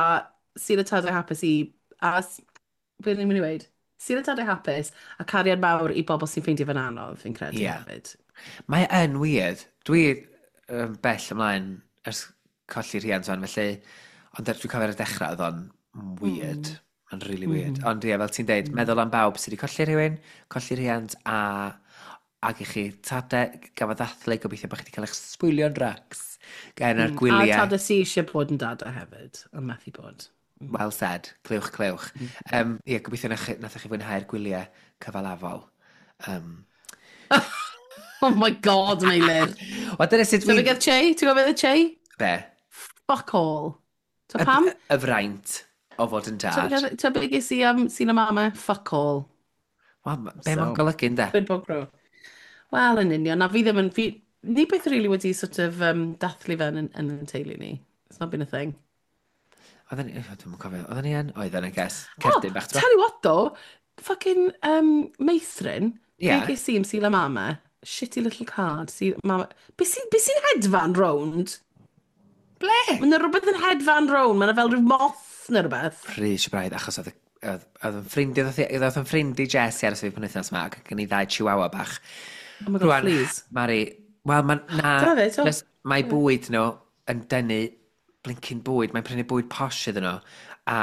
Sul y Tadau hapus i. A, s- be ni'n mynd i weud? Sul y Tadau hapus a cariad mawr i bobl sy'n ffeindio fe'n anodd, fi'n credu Ie. hefyd. Mae yn weird. Dwi um, bell ymlaen ers colli rhiant fan, felly. Ond er- dwi'n cofio ar y dechrau, oedd o'n weird. Mm. Mae'n really weird. Mm. Ond ie, fel ti'n deud, mm. meddwl am bawb sydd wedi colli rhywun, colli rhiant, a ac i chi tadau gafodd ddathlu, gobeithio bod chi wedi cael eich sbwylio'n racs gan ar Mm. A gwyliau. tadau sy eisiau bod yn dada hefyd, ond methu bod. Well said. Clywch, clywch. Um, ie, gobeithio nathoch chi, nathoch chi fwynhau'r gwyliau cyfalafol. Um, Oh my God, Meilir. Wel, dyna sut Ti'n dwi'n. gwybod Che? Ti'n gwybod beth Che? Be? Fuck all. Ti'n pam? Y, y fraint o fod yn dad. Ti'n beth ges i am Sul y Mamau? Fuck all. Wel, ma- be mae'n So. golygu, ynde? Quid pro quo. Wel, yn union. Na fi ddim yn. Fi, ni beth really wedi sort of um, dathlu fe yn, yn, yn teulu ni. It's not been a thing. Oedden ni. Dwi'm yn cofio. Oedden ni yn? Oedden, I guess. Oh, Cerdyn bach, ti'n tell you what though, Fucking um, meithrin, Ie. be Yeah. ges i am Sul y Mama? Shitty little card. Sul Mama. Be sy'n be sy hedfan rownd? Ble? Mae yna rhywbeth yn hedfan rownd. Mae yna fel rhyw moth neu rhywbeth. Rhys braidd, achos oedd oedd oedd yn ffrindiau, oedd oedd yn ffrind i Jess i aros fi penwythnos yma, ac gen i ddau chihuahua bach. Oh my God, Rwan, please. Mari, wel, ma, na, Dyna fe, to. just, mae bwyd nhw yn denu blincyn bwyd, mae'n prynu bwyd posh iddyn nhw, a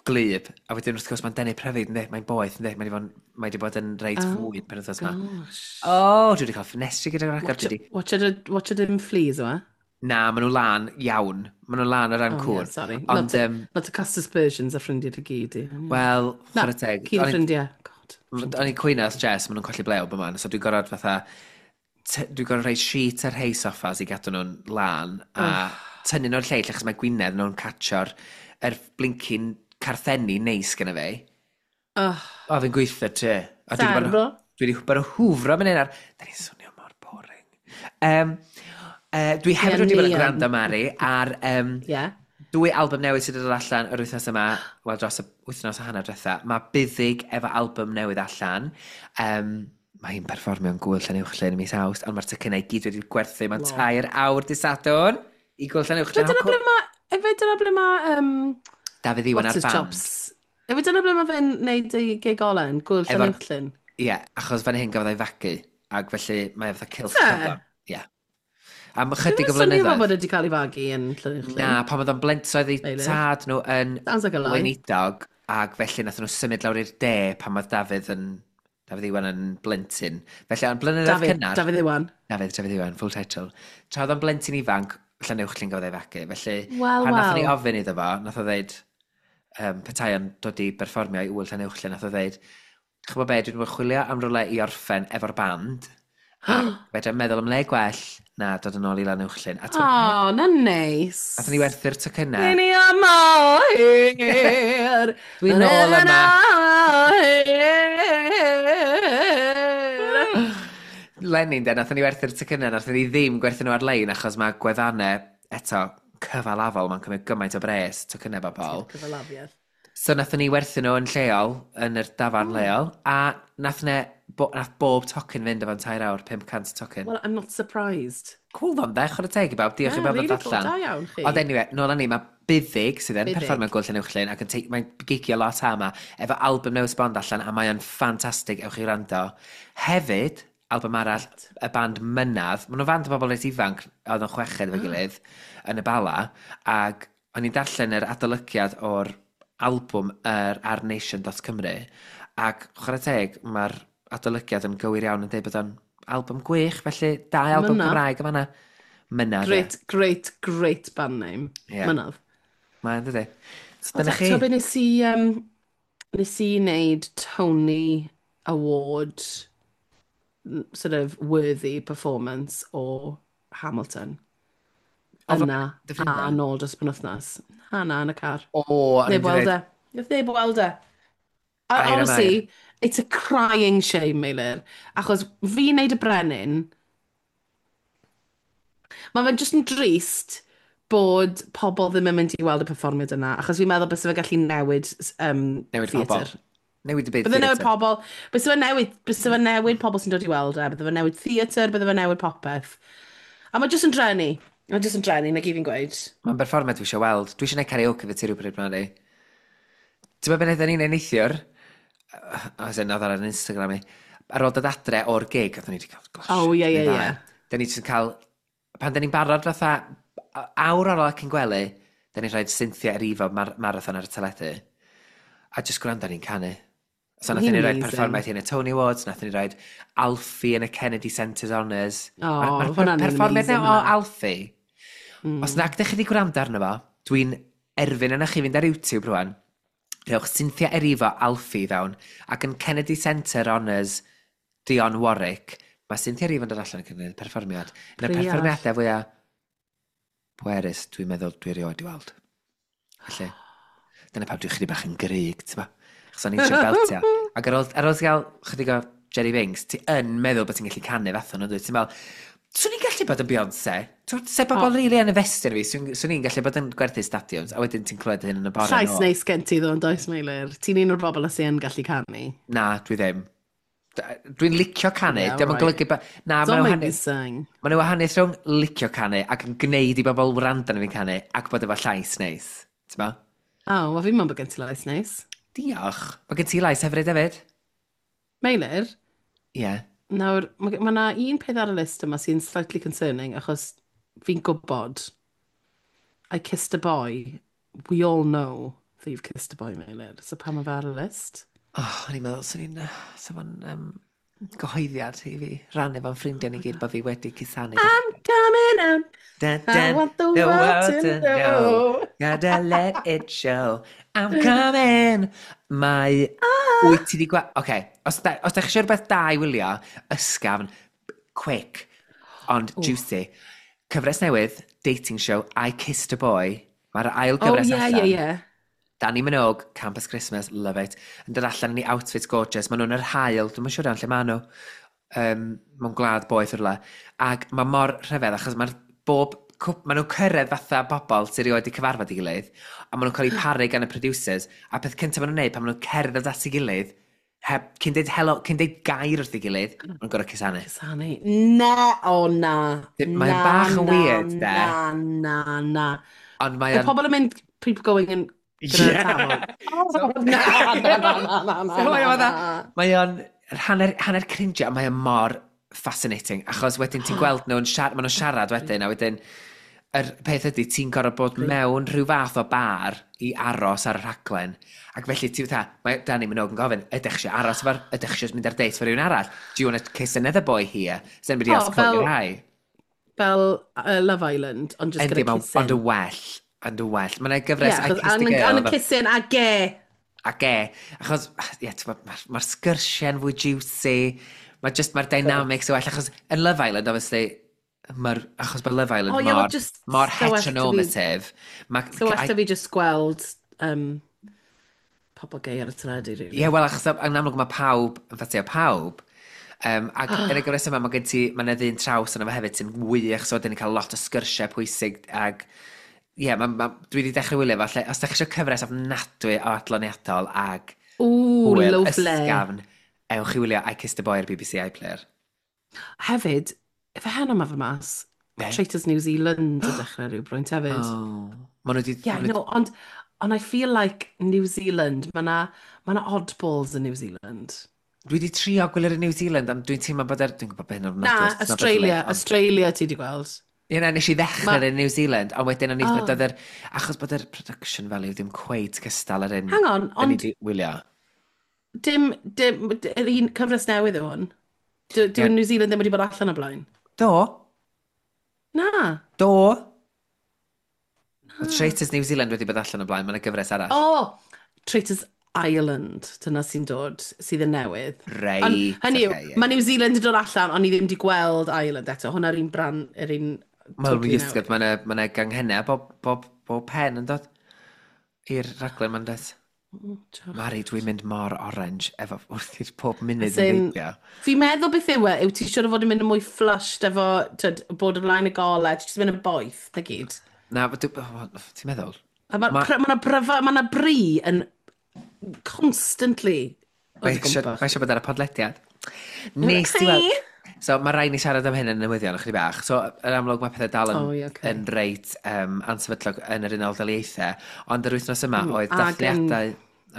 glyb, a wedyn wrth gwrs mae'n denu pryfid, yndi, mae'n boeth, yndi, mae wedi bod, mae wedi bod yn reit Oh, fwyd penwythnos yma. gosh. O, oh, dwi wedi cael ffenestri gyda'r agor, Watch, dwi wedi... watch it, watch it in fleas, yma. Na, maen nhw lan iawn. Maen nhw lan o ran Oh, yeah, cŵn. sorry. Ond, Not to, um, not to cast aspersions ar ffrindiau dy gyd i. wel, Na, chwarae teg. cyn O'n i'n- ffrindiau. God. O'n i'n cwyno wrth Jess, maen nhw'n colli blew bob man, so dwi'n gorfod fatha, t- dwi'n gorfod rhoi sheet ar rhei soffas i gadw nhw'n lan, a tynnu nhw'r lleill, achos mae gwinedd nhw'n catcho'r yr blincyn carthenni neis gyda fi. Oh, O, fi'n gweithio ti. A dwi 'di bod yn- Terrible. Dwi wedi bod yn hwfro mynd ar... Da ni'n swnio mor boring. Um, uh, dwi hefyd Ie, wedi bod yn ni yn. gwrando, Mari, ar um, yeah. dwy album newydd sydd wedi dod allan yr wythnos yma, wel dros y wythnos a hanner diwetha. Mae Buddig efo album newydd allan. Um, mae hi'n perfformio yn Gŵyl Llanuwchllyn yn mis Awst, ond mae'r tocynnau i gyd wedi gwerthu mewn Lol. tair awr dydd Sadwrn i Gŵyl Llanuwchllyn. Dyna ble mae... Efe dyna ble mae... Um, Dafydd Iwan what's ar his band. chops? Efe dyna ble mae fe'n neud ei gig ola yn Gŵyl Efo'r- Llanuwchllyn? Ie, achos fan hyn gafodd ei fagu, ac felly mae e fatha cylch Te? cyflym. Ie. Am ychydig o Dwi'n swnio fel flynyddoedd. bod e wedi cael ei fagu yn Llanuwchllyn. Na, pan oedd o'n blentyn ei Meilir. tad nhw yn Sounds like a lie. weinidog, ac felly nath nhw symud lawr i'r de pan oedd Dafydd yn Dafydd Iwan yn blentyn. Felly, yn blynyddoedd Dafydd, cynnar... Dafydd Iwan. Dafydd, Dafydd Iwan, full title. Tra oedd o'n blentyn ifanc, Llanuwchllyn gafodd ei fagu. Felly, Wel, pan nathon ni wel. ofyn iddo fo, nath o ddeud, um, petai o'n dod i berfformio i Ŵyl Llanuwchllyn, nath o ddeud, ch'mo be, dwi wedi bod yn chwilio am rywle i orffen efo'r band, a fedra i'm meddwl am le gwell na dod yn ôl i Llanuwchllyn. A O, oh, na neis. nathon ni werthu'r tocynnau. Ni yma o hir. Dwi'n nôl yma. Yma. Lenny, de, nathon ni werthu'r tocynnau, nathon ni ddim gwerthu nhw ar-lein, achos mae gwefannau, eto, cyfalafol, mae'n cymryd gymaint o bres, tocynnau bobl. Cyfalafiaeth. So nathon ni werthu nhw yn lleol, yn yr dafarn Mm. leol, a nath, ne, bo, nath bob tocyn fynd o fewn tair awr, pum cant tocyn. Well, I'm not surprised. Cool ddo'n de, chwarae teg i bawb, diolch i Yeah, bawb really ddod cool. allan. Da iawn chi. Ond anyway, nôl â ni, mae Buddig sydd yn Buddig. perfformio Gŵyl Llanuwchllyn ac yn te- mae'n gigio lot ama, efo album newydd sbond allan, a mae o'n ffantastig, ewch i wrando. Hefyd, album arall, y band Mynadd, maen nhw'n fand o bobl reit ifanc, oedd yn chweched efo'i gilydd, yn y Bala, ac o'n i'n darllen yr adolygiad o'r albwm yr ar nation dot cymru, ac chwarae teg, mae'r adolygiad yn gywir iawn yn dweud bod o'n album gwych, felly dau album Mynadd. Cymraeg yn fanna. Mynadd, ie. Great, great, great band name. Ie. Mynadd. Mae'n dydy. So dyna chi. Ti'n be nes i, um, nes i wneud Tony Award n- sort of worthy performance o Hamilton. O, fel Yna, dy ffrindiau? a nôl dros penwythnos. Na, na, yn y car. O, o'n i'n Neb weld dweud, e. Nath neb weld e. A Air am honestly, it's a crying shame, Meilir. Achos fi'n neud y brenin, mae fe'n just yn drist bod pobl ddim yn mynd i weld y perfformiad yna, achos fi'n meddwl byse fe gallu newid um, Newid pobl. theatr. Newid y byd Bydde newid theatr. pobl, byse fe newid, byse fe newid pobl sy'n dod i weld e, bydde fe newid theatr, bydde fe newid popeth. A mae jyst yn drenu. Mae jyst yn drenu, na gyd fi'n gweud. Mae'n berfformiad dwi eisiau weld. Dwi eisiau gwneud karaoke fe ti rhywbryd Mari. Ti'n meddwl beth wnaethon ni'n neud neithiwr? As in, oedd ar Instagram i. Ar ôl dod adre o'r gig, oedden ni wedi cael gosh. Oh, ie, ie, ie. Da ni jyst yn cael... Pan da ni'n barod fatha awr ar ôl cyn gwely, da ni'n rhoi Cynthia Erivo mar marathon ar y teledu. A jyst gwrando ni'n canu. So Ma' nathon hi'n ni roi amazing. perfformiad hi yn y Tony Awards, nathon ni roi Alfie yn y Kennedy Centre Honours. O, Ma'r- ma'r hwnna'n perfformiad amazing, na o hwnna. Alfie. Mm. Os nag ydych chi wedi gwrando arno fo, dwi'n erfyn yna chi fynd ar YouTube rwan. Rhowch Cynthia Erivo Alfie fewn, ac yn Kennedy Centre Honours Dionne Warwick, mae Cynthia Erivo yn dod allan yn gwneud perfformiad. Un o'r Priod. perfformiadau fwyaf pwerus dwi'n meddwl dwi erioed i weld. Felly, dyna pam dwi'n chydig bach yn gryg, ti'n ba? Achos o'n i'n trio beltio. Ac ar ôl, ar ôl ti gael chydig o Jerry Binks, ti yn meddwl bod ti'n gallu canu fath o'n dwyt? Ti'n meddwl, Swn i'n gallu bod yn Beyoncé. Tw'n se bobl Oh. rili yn investio yn fi, swn swn i'n gallu bod yn gwerthu stadiums, a wedyn ti'n clywed hyn yn y bore Llais nôl. neis gen ti ddo, yn does, Meilir? Ti'n un o'r bobl sy'n gallu canu. Na, dwi ddim. D- Dwi'n licio canu, Yeah, yeah, diolch yn right. golygu... Ba... Na, Don't mae'n make me wahaniaeth, sing. mae'n wahaniaeth rhwng licio canu ac yn gwneud i bobl wrando arna fi'n canu ac bod efo llais neis. Ti'n bo? Oh, wel fi'n meddwl bod gen ti lais neis. Diolch. Mae gen ti lais hefyd hefyd? Meilir, Ie. Yeah. nawr, mae ma 'na un peth ar y list yma sy'n slightly concerning, achos fi'n gwybod I kissed a boy. We all know that you've kissed a boy, Meilir. So pam mae fe ar y list? Oh, o'n i'n meddwl, swn i'n... Swn i'n um, gyhoeddiad i fi rannu fo'n ffrindiau ni gyd bod fi wedi cusanu. I'm coming out. Dun, I dun, want the world to know. Gotta let it show. I'm coming. Mae... Ah. Wyt ti di gwa... Oce, okay. os, da, os da chi eisiau rhywbeth da i wylio, ysgafn, quick, ond Ww. juicy. Cyfres newydd, dating show, I Kissed a Boy. Mae'r ail Oh, gyfres yeah, allan. yeah, yeah. Dannii Minogue, Campus Christmas, love it. Yn dod allan yn ei outfit gorgeous. Maen nhw'n yr haul, dwi'n siŵr iawn lle maen nhw. Um, mewn gwlad boeth rhywle. Ac mae mor rhyfedd, achos mae'r bob... cwp- Maen nhw'n cyrraedd fatha bobl sydd erioed wedi cyfarfod ei gilydd, a maen nhw'n cael eu paru gan y producers, a peth cyntaf maen nhw'n neud pan maen nhw'n cerdded at ei gilydd, heb, cyn deud helo, cyn deud gair wrth ei gilydd, maen nhw'n gorfod cusanu. Cusanu. Na, o oh, na. Mae'n Na, bach yn na, weird, de. Na, na, na. Ond mae Y o'n... pobl yn mynd, people going in gyda'r Yeah. tafod. So- Oh, na, na, na, na, na, na, So mae o na, fatha- na. Mae o'n hanner, hanner cringe, a mae o'n mor fascinating, achos wedyn ti'n gweld nhw'n siarad, maen nhw'n siarad wedyn, a wedyn yr peth ydy, ti'n gorfod bod mewn rhyw fath o bar i aros ar y rhaglen. Ac felly ti fatha, mae Dannii Minogue yn gofyn, "Ydych chi eisiau aros efo'r, ydych chi eisiau mynd ar date efo rhywun arall? Do you want to kiss another boy here? Has anybody Oh, else caught your fel- eye?" Fel uh, Love Island, ond just Yndi, gyda ma- kissing. ond y well, ond y well. Mae'n gyfres Yeah, I achos Kissed a and, Girl. and efo- kissing a ge. A ge. Achos, ie, ti'n gwbod, mae'r ma sgyrsiau'n fwy juicy. Mae just, mae'r dynamics yn well. Achos yn Love Island, obviously, mae'r, achos mae Love Island Oh, ie, well, mor, just mor so well to fi- heteronormative. Ma, So well da fi just gweld um, pobl gay ar y teledu, really. Ie, wel, achos yn amlwg mae pawb yn ffansio pawb. Um, ac yn y gyfres yma, mae gen ti, mae yna ddyn traws yna fo hefyd sy'n wych, so dyn ni'n cael lot o sgyrsiau pwysig ag ie, yeah, ma, ma, dwi wedi dechrau wylio fo, lle, os da chi eisiau cyfres ofnadwy o adloniadol ag Ooh, hwyl lovely. ysgafn, ewch i wylio I Kissed a Boy ar B B C iPlayer. Hefyd, efe heno ma fe mas, Be? Traitors New Zealand yn dechrau rhywbrwynt hefyd. Oh. Ma nhw wedi... Yeah, I know, ond, ond I feel like New Zealand, mae na, ma na oddballs in New Zealand. Dwi wedi trio gwylio'r New Zealand, ond dwi'n teimlo bod er... Dwi'n gwybod beth hyn Na, Australia, Australia ti di gweld. Ie, na, nes i ddechrau Ma- yn New Zealand, ond wedyn o'n i Oh. oh. yr, achos bod yr production value ddim cweit cystal yr un Hang on, da ni ond 'di wylio. dim, dim, yr un cyfres newydd yw hwn. Dyw Ie. New Zealand ddim wedi bod allan o blaen. Do, Na. do. Mae Traitors New Zealand wedi bod allan o blaen, mae'n gyfres arall. O, Traitors Ireland, dyna sy'n dod, sydd yn newydd. Reit, Ond, hynny yw, ocê, ie, mae New Zealand yn dod allan, ond ni ddim wedi gweld Ireland eto. Hwna'r un brand, yr un Wel, totally ysgyd, newydd. mae'n ma ganghennau bob, bob, bob pen yn dod i'r rhaglen ma'n dod. Mm, diolch. Mari, dwi'n mynd mor orange efo wrth i'r pob munud As yn in, heibio. fi'n meddwl beth yw e, yw ti siŵr o fod yn mynd yn mwy flushed efo, tyd, bod o flaen y golau, ti jyst yn mynd yn boeth, na gyd. Na, dwi- o, ti'n meddwl? A mae Ma- ma, ma bryfa, ma na bri yn constantly o Mae dy eisiau gwmpas. mae eisiau bod ar y podlediad. Nes ti weld... So, mae rhaid ni siarad am hyn yn newyddion ychydig bach. So, yn amlwg mae pethau dal yn, Oh, ie, ocê. yn reit um, ansefydlog yn yr Unol Daleithiau. Ond yr wythnos yma Mm, oedd ag yn- dathliadau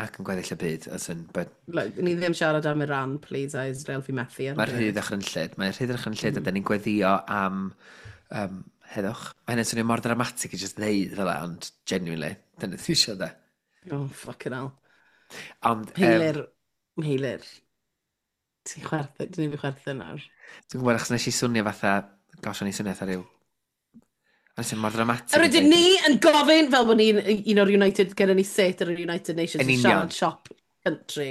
ac yn gweddill y byd. As in, but Look, ni ddim siarad am Iran, please, a Israel, fi methu ar Mae'r y rhydd dychrynllyd. Mae'r rhydd dychrynllyd mm. a dyn ni'n gweddio am um, heddwch. Mae hynny'n swnio mor dramatig i just ddeud fel 'a, ond genuinely, dyna ti eisiau de. Oh, fucking hell. Ond, um, Meilir, Meilir. Ti'n chwerthu, dwi'n fi chwerthu nawr. Dwi'n gwybod achos nes i swnio fatha, gosh, o'n i swnio fatha rhyw... O'n i swnio mor dramatig. Yr yn ydyn deud- ni yn gofyn, fel bod ni'n un o'r United, gyda ni set ar yr United Nations, Yn yn union. siarad shop country.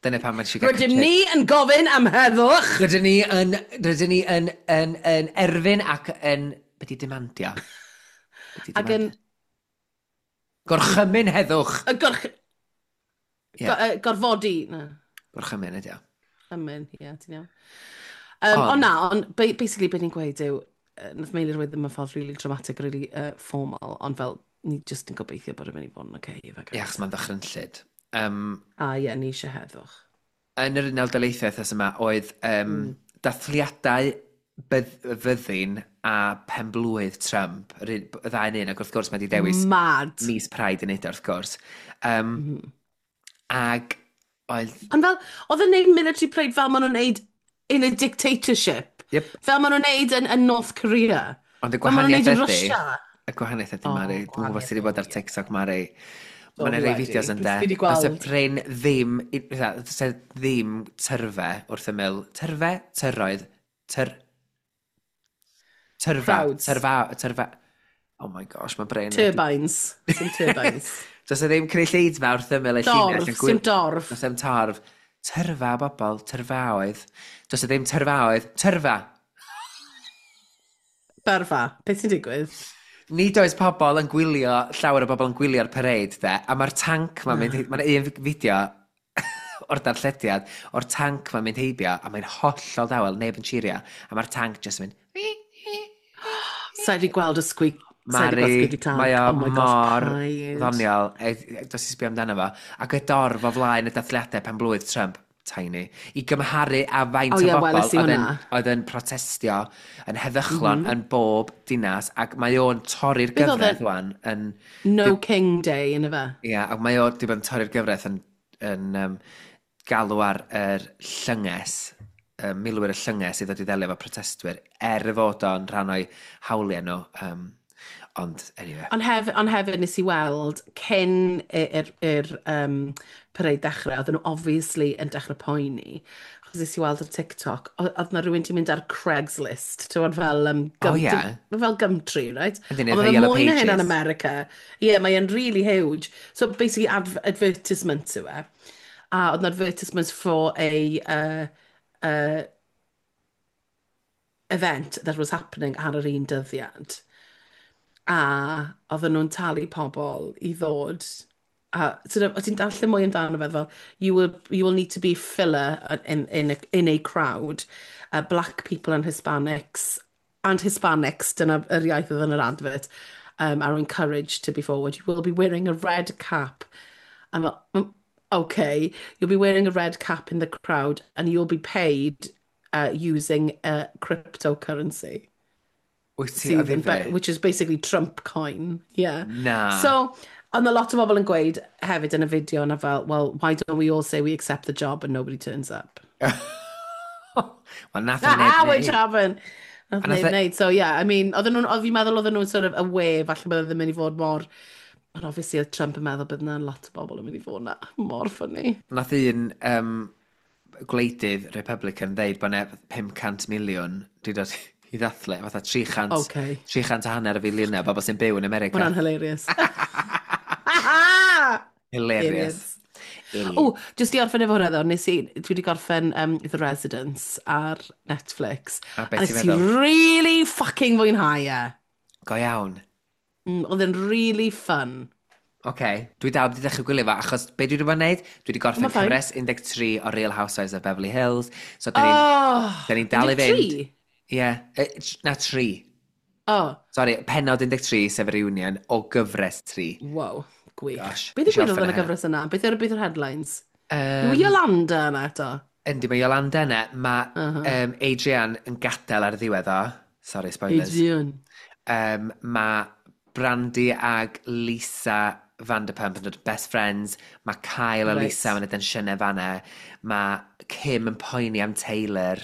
Dyna pam mae'n gael Rydym ni yn gofyn am heddwch! Rydyn ni yn, rydyn ni yn, yn, yn erfyn ac yn... Be di demandio? Be di Ac yn demandio? Gorchymyn heddwch! Y gorch... Ie. Go, uh, gorfodi. Na, Gorchymyn ydi o. ymyn, ie, ti'n iawn. Um, ond Ond, na, ond basically beth ni'n gweud yw, uh, nath Meilir weud ddim yn ffordd really dramatic, really uh, formal, ond fel, ni just yn gobeithio bod yn mynd i fod yn okay, efe, ie, guys. achos mae'n ddychrynllyd. Um, A ie, ni eisiau heddwch. Yn yr Unol Daleithiau wythnos yma oedd um, Mm. dathliadau bydd, fyddin a penblwydd Trump, yr un- y ddau yn un, ac wrth gwrs mae wedi dewis Mad. mis Pride yn neud o, wrth gwrs. Um, Mm. Ag oedd. Ond fel, oedd yn neud military parade fel maen nhw'n neud in a dictatorship. Yep. Fel maen nhw'n neud yn, yn North Korea. Ond y Fel maen nhw'n gwahaniaeth neud yn ydy. Russia. Y gwahaniaeth ydy, O, Mari. Dwi'n gwybod gwahaniaeth sydd wedi bod ar yw, ie. TikTok, Mari. Do, Mae yna fi rei wedi. fideos yn de. Fi 'di Does y gweld. prin ddim, i- fatha, does e ddim tyrfe wrth ymyl. Tyrfe? Tyroedd. Tyr... Tyrfa. Crowds. Tyrfa. Tyrfa. Oh my gosh, mae brain wedi. Turbines. Sim turbines. Does e ddim cynulleidfa wrth ymyl y llinell Dorf. yn gwyl. Sim dorf. Does ddim torf. Tyrfa o bobl, tyrfaoedd. Does e ddim tyrfaoedd. Tyrfa. Berfa. Beth sy'n digwydd? Nid oes pobl yn gwylio, llawer o bobl yn gwylio'r parade, de, a mae'r tanc ma'n mynd, mae'n un fideo o'r darllediad, o'r tanc ma'n mynd heibio, a mae'n hollol dawel, neb yn cheerio, a mae'r tanc jyst yn mynd. Sa i wedi gweld y squeak. Sa i wedi gweld Mari, squeaky tank. Mae o Oh my gosh, mor paid. ddoniol. E, e, Dos i sbio amdano fo. Ac y dorf o flaen y dathliadau pen blwydd Trump, tiny, i gymharu â faint O o ie, bobl weles i oedd yn, hwnna. oedd yn protestio yn heddychlon mm -hmm. yn bob dinas, ac mae o'n torri'r Beth oedd gyfraith e? wan yn. No King Day, yn y fe? Ia, yeah, ac mae o wedi bod yn torri'r gyfraith yn, yn um, galw ar yr llynges, um, milwyr y llynges i ddod i ddelio efo protestwyr, er y fod o'n rhan o'i hawliau nhw. Um, ond, anyway. Ond hef, ond hefyd nes i weld cyn i'r i'r um, parade dechrau, oedden nhw obviously yn dechrau poeni. Achos nes i weld ar TikTok, o- oedd na rhywun 'di mynd ar Craigslist, ti'n gwbod fel, um, O, gum, ie. dim- fel Gumtree, right? Ydyn, Ond fatha mae fe Yellow mwy na hynna yn Pages. America. Ie, yeah, mae'n really huge. So basically adv advertisement yw e. A oedd na advertisements for a uh, uh, event that was happening ar yr un dyddiad. A oedden nhw'n talu pobl i ddod. A sort of, o ti'n darllen mwy amdano fe fel, you will, you will need to be filler in, in, a, in a crowd. Uh, black people and Hispanics, and Hispanics, dyna yr iaith oedd yn yr advert, um, are encouraged to be forward. You will be wearing a red cap. I'm fel, "Mm, okay, you'll be wearing a red cap in the crowd and you'll be paid uh, using a cryptocurrency. Wyt ti o Sydd yn ddifri? which is basically Trump coin. Yeah. Na. So, ond a lot o bobl yn gweud hefyd yn y fideo yna fel, "Well, why don't we all say we accept the job and nobody turns up?" Wel, nath o neb Which neud. happened. Nath A nath neb e- wneud. So, yeah, I mean, oedden nhw'n, oedd fi'n meddwl oedden nhw'n sort of aware, falle bydde ddim mynd i fod mor. Ond obviously, oedd Trump yn meddwl bydd yna lot o bobl yn mynd i fod na. Mor funny. Nath un um, gwleidydd Republican ddeud bod 'na pum cant miliwn di dod i ddathlu, fatha tri chant, Okay. tri chant a hanner y filiynau bobl sy'n byw yn America. Hwnna'n hilarious. Hilarious. O, jyst i orffen efo hwnna ddo, nes i, dwi wedi gorffen um, The Residence ar Netflix. A beth A ti'n nes i meddwl? really fucking fwynhau e. Go iawn. Mm, oedd e'n really fun. Oce, okay. Dwi dal wedi dechrau gwylio fo, achos be dwi wedi bod yn neud? Dwi wedi gorffen Ma' fine. cyfres un deg tri o Real Housewives of Beverly Hills. So, da ni'n Oh, da ni'n dal i fynd. un deg tri? Ie, yeah. Na, tri. Oh, Sorry, penod un deg tri, sef y reunion, o gyfres tri. Wow, gwych. Gosh, Beth nes i ddigwyddodd orffen yn y e heno. gyfres yna? Beth yw'r beth yw'r headlines? Um, Yw Yolanda yna eto? Yndi, mae Yolanda yna. Mae uh Uh-huh. -huh. um, Adrian yn gadael ar y ddiwedd o. Sorry, spoilers. Adrian. Um, mae Brandy ag Lisa Vanderpump yn dod best friends. Mae Kyle a Reit. Lisa yn y densiynau fanna. Mae Kim yn poeni am Taylor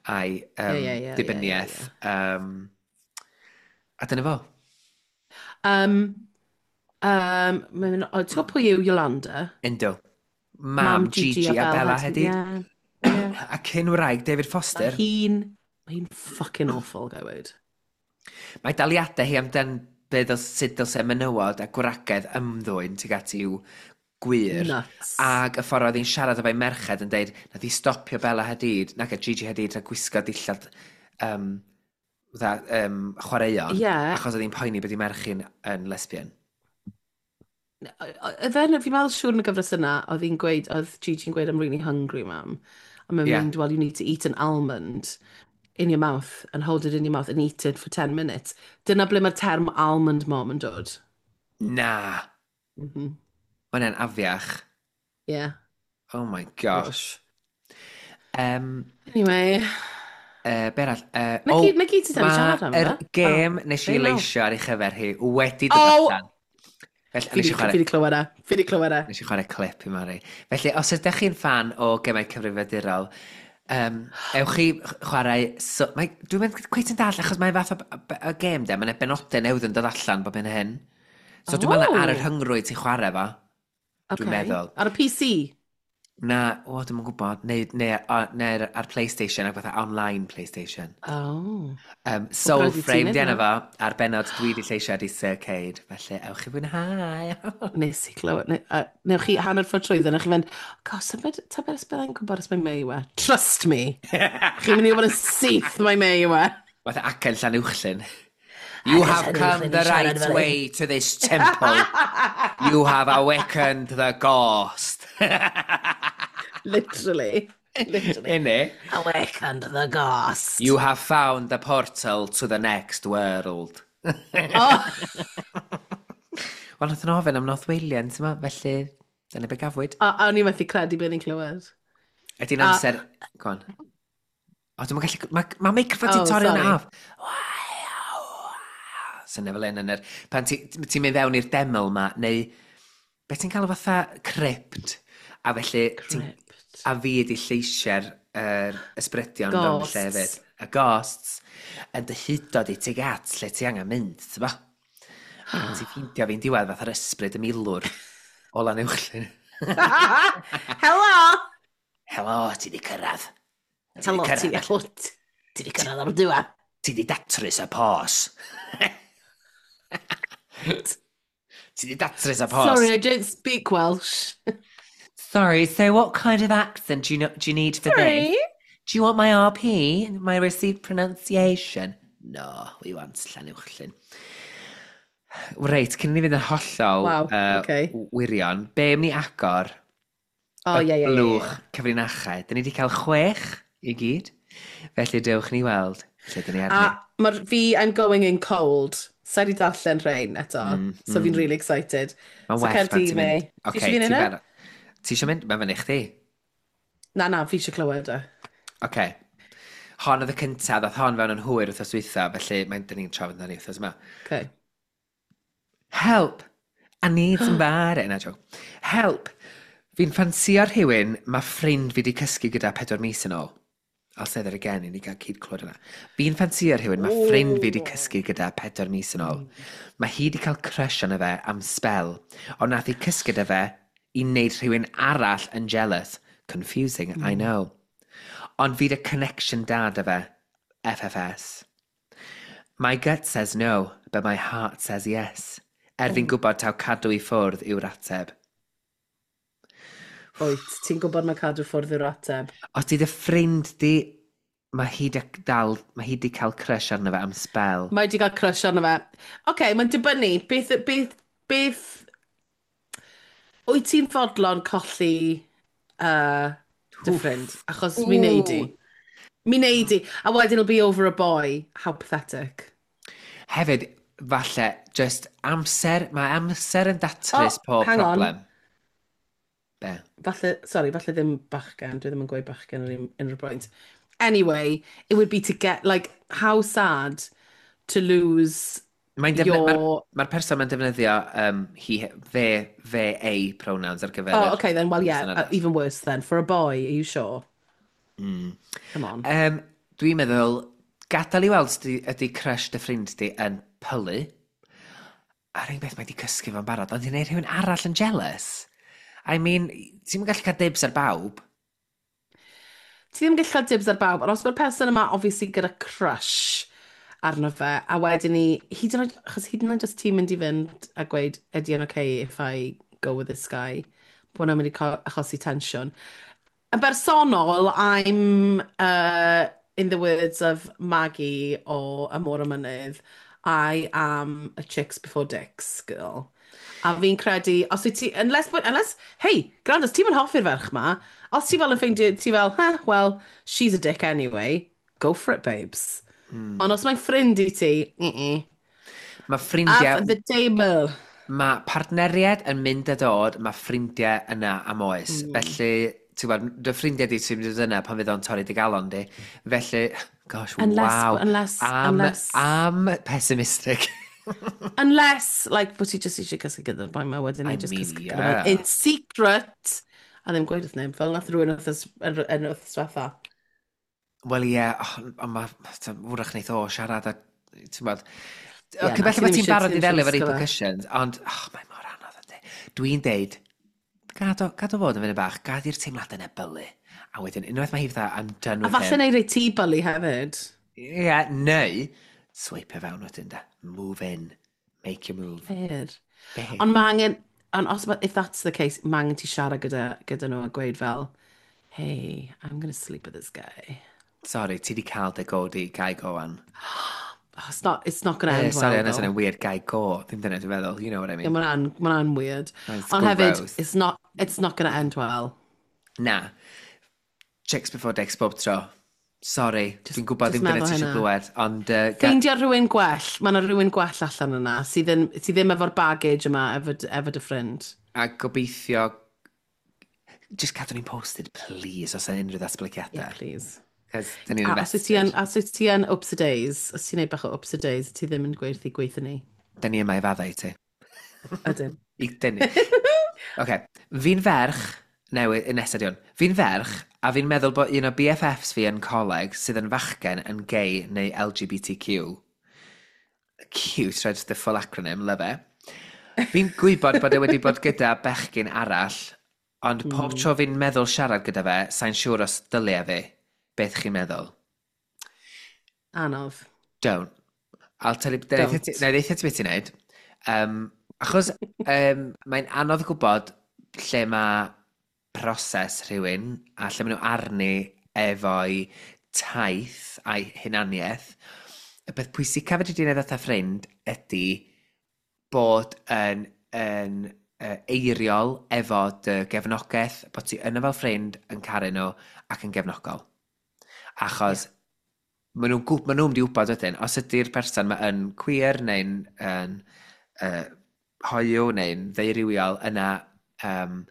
a'i um, Ie, ie, ie, ie, dibyniaeth. ie, Um, a dyna fo. Um, um, mae'n mynd, o, ti'n gwybod pwy yw Yolanda? Yndw. Mam, Gigi, a Bella Hadid. Ie. Ie. A cyn wraig David Mae Foster. hi'n, mae hi'n fucking awful, gai weud. Mae daliadau hi amdan be ddylse, sut dylse menywod a gwragedd ymddwyn tuag at i'w gwŷr. Nuts. Ac y ffordd oedd hi'n siarad efo'i merched yn deud nath hi stopio Bella Hadid, nac a Gigi Hadid rhag gwisgo dillad um, fatha, um, chwaraeon. Ie. Achos oedd hi'n poeni bod ei merch hi'n yn lesbian. Oedd e'n, fi'n meddwl siŵr yn y gyfres yna, oedd hi'n gweud, oedd Gigi'n gweud, "I'm really hungry, Mam." A mae'n Ie. mynd, "Well, you need to eat an almond in your mouth and hold it in your mouth and eat it for ten minutes." Dyna ble mae'r term almond mom yn dod. Na. Mm -hmm. Mae hwnna'n afiach. Yeah. Oh my gosh. Um, Anyway. Uh, be arall? Uh, Na oh, gyd, na gyd sydd am siarad am Mae'r fe. gêm Oh, nes i be nawr? leisio ar ei chyfer hi wedi dod Oh! allan. Felly, Fi nes i di, chwarae, fi di clywed e. Fi di clywed e. nes i chwarae clip i Mari. Felly, os ydych chi'n fan o gemau cyfrifiadurol, um, ewch chi chwarae. So, mae, dwi'n mynd cweit yn dall, achos mae'n fath o, o gêm de, mae'n benodau newydd yn dod allan bob hyn a hyn. So dwi'n meddwl ar y Oh. rhyngrwyd ti'n chwarae fo. Dwi'n Okay. meddwl. Ar y P C? Na, o, dwi'n yn gwybod. Neu, neu, o, neu ar, ar PlayStation, ac fatha online PlayStation. Oh. Um, Soul rhaid i ti Frame wneud di enw hwnna. fo, a'r benod dwi di lleisio di Sir Cade. Felly, ewch i fwynhau. Nes i clywed. Ne, uh, newch chi hanner ffordd trwyddo, newch chi fynd, "Gosh, tybed, tybed os byddai'n gwybod os mae Mei yw e?" Trust me. Chi'n mynd i wybod yn syth mai Mei yw e. Fatha acen Llanuwchllyn. "You have come the right way to this temple. You have awakened the ghost." Literally. Literally. Innit? Awakened the ghost. "You have found the portal to the next world." Oh. Wel, nath nhw ofyn am nosweilian, ti'n ma? Felly, dyna be gafwyd. A, a o'n i methu credu beth ni'n clywed. Ydy'n A- amser. Go on. O, dwi'n gallu. Mae ma microffon ti'n Oh, torri hwnna sorry. off. Sy'n fel un yn yr. Pan ti'n ti mynd fewn i'r deml ma, neu be ti'n cael o fatha crypt. A felly ti'n Crypt. A fi ydi lleisiau'r er, ysbrydion fewn y lle Ghosts. hefyd. Y ghosts. Yn dy hudo di tuag at lle ti angen mynd, ti'n ba? A ti'n ffeindio fi'n diwedd fatha'r ysbryd y milwr o Lanuwchllyn. Helo! Helo, ti di cyrraedd. Ti di Helo, ti cyrraedd. hello, ti di cyrraedd ar y diwedd. Ti di datrys y pos. Ti di datrys y pos. Sorry, I don't speak Welsh. Sorry, so what kind of accent do you, know, do you need for Sorry. this? Do you want my R P, my received pronunciation? No, we want Llanuwchllyn. Reit, cyn i ni fynd yn hollol Wow, uh, okay. wirion, be am ni agor Oh, y ie, ie, ie, blwch ie. cyfrinachau? Dyn ni wedi cael chwech i gyd, felly dewch ni weld lle dyn ni A arni. mae'r fi, I'm going in cold. Sa i wedi darllen rhain eto. Mm, So fi'n mm. really excited. Mae'n So well cer pan di, ti'n mynd. Mei. Ti Oce, eisiau fi ti'n neud e? barod? Ti eisiau mynd? Mae fyny chdi. Na, na, fi eisiau clywed e. Oce. Hon oedd y cyntaf, ddoth hon fewn yn hwyr wythnos dwytha, felly mae'n dyn ni'n trafod ni wythnos yma. Okay. Help! I need somebody. Na, joke. Help! Fi'n ffansio rhywun mae ffrind fi wedi cysgu gyda pedwar mis yn ôl. I'll say that again i ni gael cyd clywed yna. Fi'n ffansio rhywun mae ffrind fi wedi cysgu gyda pedwar mis yn ôl. Mae hi wedi cael crush arno fe am spell, ond nath hi cysgu gyda fe i wneud rhywun arall yn jealous. Confusing, I know. Ond fi 'da connection da 'da fe. F F S. My gut says no, but my heart says yes. Er fi'n gwybod taw cadw i ffwrdd yw'r ateb. Wyt, ti'n gwybod mae cadw ffwrdd yw'r ateb. Os ti dy ffrind di, mae hi di dal, mae hi di cael crush arno fe am spell. Mae wedi cael crush arno fe. Oce, okay, mae'n dibynnu. Beth, beth, beth... Wyt ti'n fodlon colli uh, dy ffrind? Achos mi wneud i. Mi wneud i. A wedyn it'll be over a boy. How pathetic. Hefyd, falle, just amser, mae amser yn datrys Oh, pob hang on. problem. Be? Falle, sorry, falle ddim bachgen. Dwi ddim yn gweud bachgen ar unrhyw point. Anyway, it would be to get, like, how sad to lose Mae'n defny- your. Mae'r ma person mae'n defnyddio um, he, fe, fe, ei pronouns ar gyfer Oh, yr okay then. Well, yeah, person uh, arall. even worse then. For a boy, are you sure? Mm. Come on. Um, dwi'n meddwl, gadael i weld ydy, ydy crush dy ffrind di yn pylu. A'r un beth, mae di cysgu fo'n barod, ond i'n neud rhywun arall yn jealous. I mean, ti'n gallu cael dibs ar bawb. Ti ddim yn gallu cael dibs ar bawb, ond os mae'r person yma obviously gyda crush arno fe, a wedyn ni, hyd yn oed, achos hyd yn oed os ti'n mynd i fynd a gweud, "Ydy yn okay if I go with this guy?" bod hwnna'n mynd i co- achosi tensiwn. Yn bersonol, I'm, uh, in the words of Maggie o Y Môr y Mynydd, I am a chicks before dicks girl. A fi'n credu, os wyt ti, unless, unless, hey, gwrando, os ti'n mynd hoffi'r ferch ma, os ti fel yn ffeindio, ti fel, huh, well, she's a dick anyway, go for it, babes. Mm. Ond os mae'n ffrind i ti, mm-mm. Mae ffrindiau. Off the table. Mae partneriaid yn mynd a dod, mae ffrindiau yna am oes. Mm. Felly, ti'n gwybod, dy ffrindiau di sy'n mynd yna pan fydd o'n torri dy galon di. Felly, gosh, unless, wow. Unless, am, unless. Am pessimistic. Unless, like, bod ti just eisiau cysgu gyda'r boi ma wedyn, I neu just mean, cysgu yeah. gyda fo in secret. A ddim gweud wrth neb, fel nath rhywun wrth yn wrth diwetha. Wel ie, yeah, ond mae, wrach wneith o siarad a, ti'n gwybod, Ie, yeah, na, falle ti bod ddim ti'n isie- barod ti i ddim isie ddelio efo risgo fe. repercussions, ond, oh, mae mor anodd ydy. Dwi'n deud, gad o, gad o fod yn fynd bach, gad i'r teimladau yna bylu. A wedyn, unwaith mae hi fatha, I'm done A with falle him. neu rei ti bylu hefyd. Ie, yeah, neu, swipe fewn wedyn da. Move in. Make your move. Fair. Be? Ond mae angen, ond os, if that's the case, mae angen ti siarad gyda, gyda nhw a gweud fel, "Hey, I'm gonna sleep with this guy." Sorry, ti di cael dy go di, guy go on. Oh, it's not, it's not gonna Eh, end sorry, well, yna though. sy'n weird guy go. Ddim dyna dwi'n feddwl, you know what I Yeah, mean. mae'n ma weird. It's Ond hefyd, gross. it's not, it's not gonna end well. Na. Chicks before dicks bob tro. Sorry, Just- dwi'n gwybod just ddim dyna meddwl ti eisiau hynna. glywed, ond... Uh, ga- Ffeindio rhywun gwell. Mae yna rhywun gwell allan yna sydd, yn, sydd ddim efo'r baggage yma efo, efo dy ffrind. A gobeithio. Just cadw ni'n posted, please, os yna unrhyw ddatblygiadau. Yeah, please. Cos dyn ni'n A os wyt ti yn, invested. os wyt ti yn ups a days, os ti'n neud bach o ups a days, ti ddim yn gweithio gweithio ni. Dyn ni yma i faddau i ti. Ydyn. I dynnu. Oce, fi'n ferch, newydd, nesaf di hwn. Fi'n ferch, a fi'n meddwl bod un o B F Fs fi yn coleg sydd yn fachgen yn gay neu L G B T Q. Cute, right, the full acronym, love it. Fi'n gwybod bod e wedi bod gyda bechgyn arall, ond pob Mm. tro fi'n meddwl siarad gyda fe, sa'n siŵr os dylia fi. Beth chi'n meddwl? Anodd. Don't. I'll tell you, Don't. na i ddeutha ti beth ti'n neud. Um, achos um, mae'n anodd gwybod lle mae proses rhywun a lle maen nhw arni efo'i taith a'i hunaniaeth. Y peth pwysica fedri di wneud fatha ffrind ydy bod yn, yn uh, eiriol efo dy gefnogaeth, bod ti yna fel ffrind yn caru nhw ac yn gefnogol. Achos yeah. maen nhw'n gwb, maen nhw'n mynd i wybod wedyn, os ydy'r person ma yn queer neu'n yn, uh, hoyw neu'n ddeurywiol, yna, um,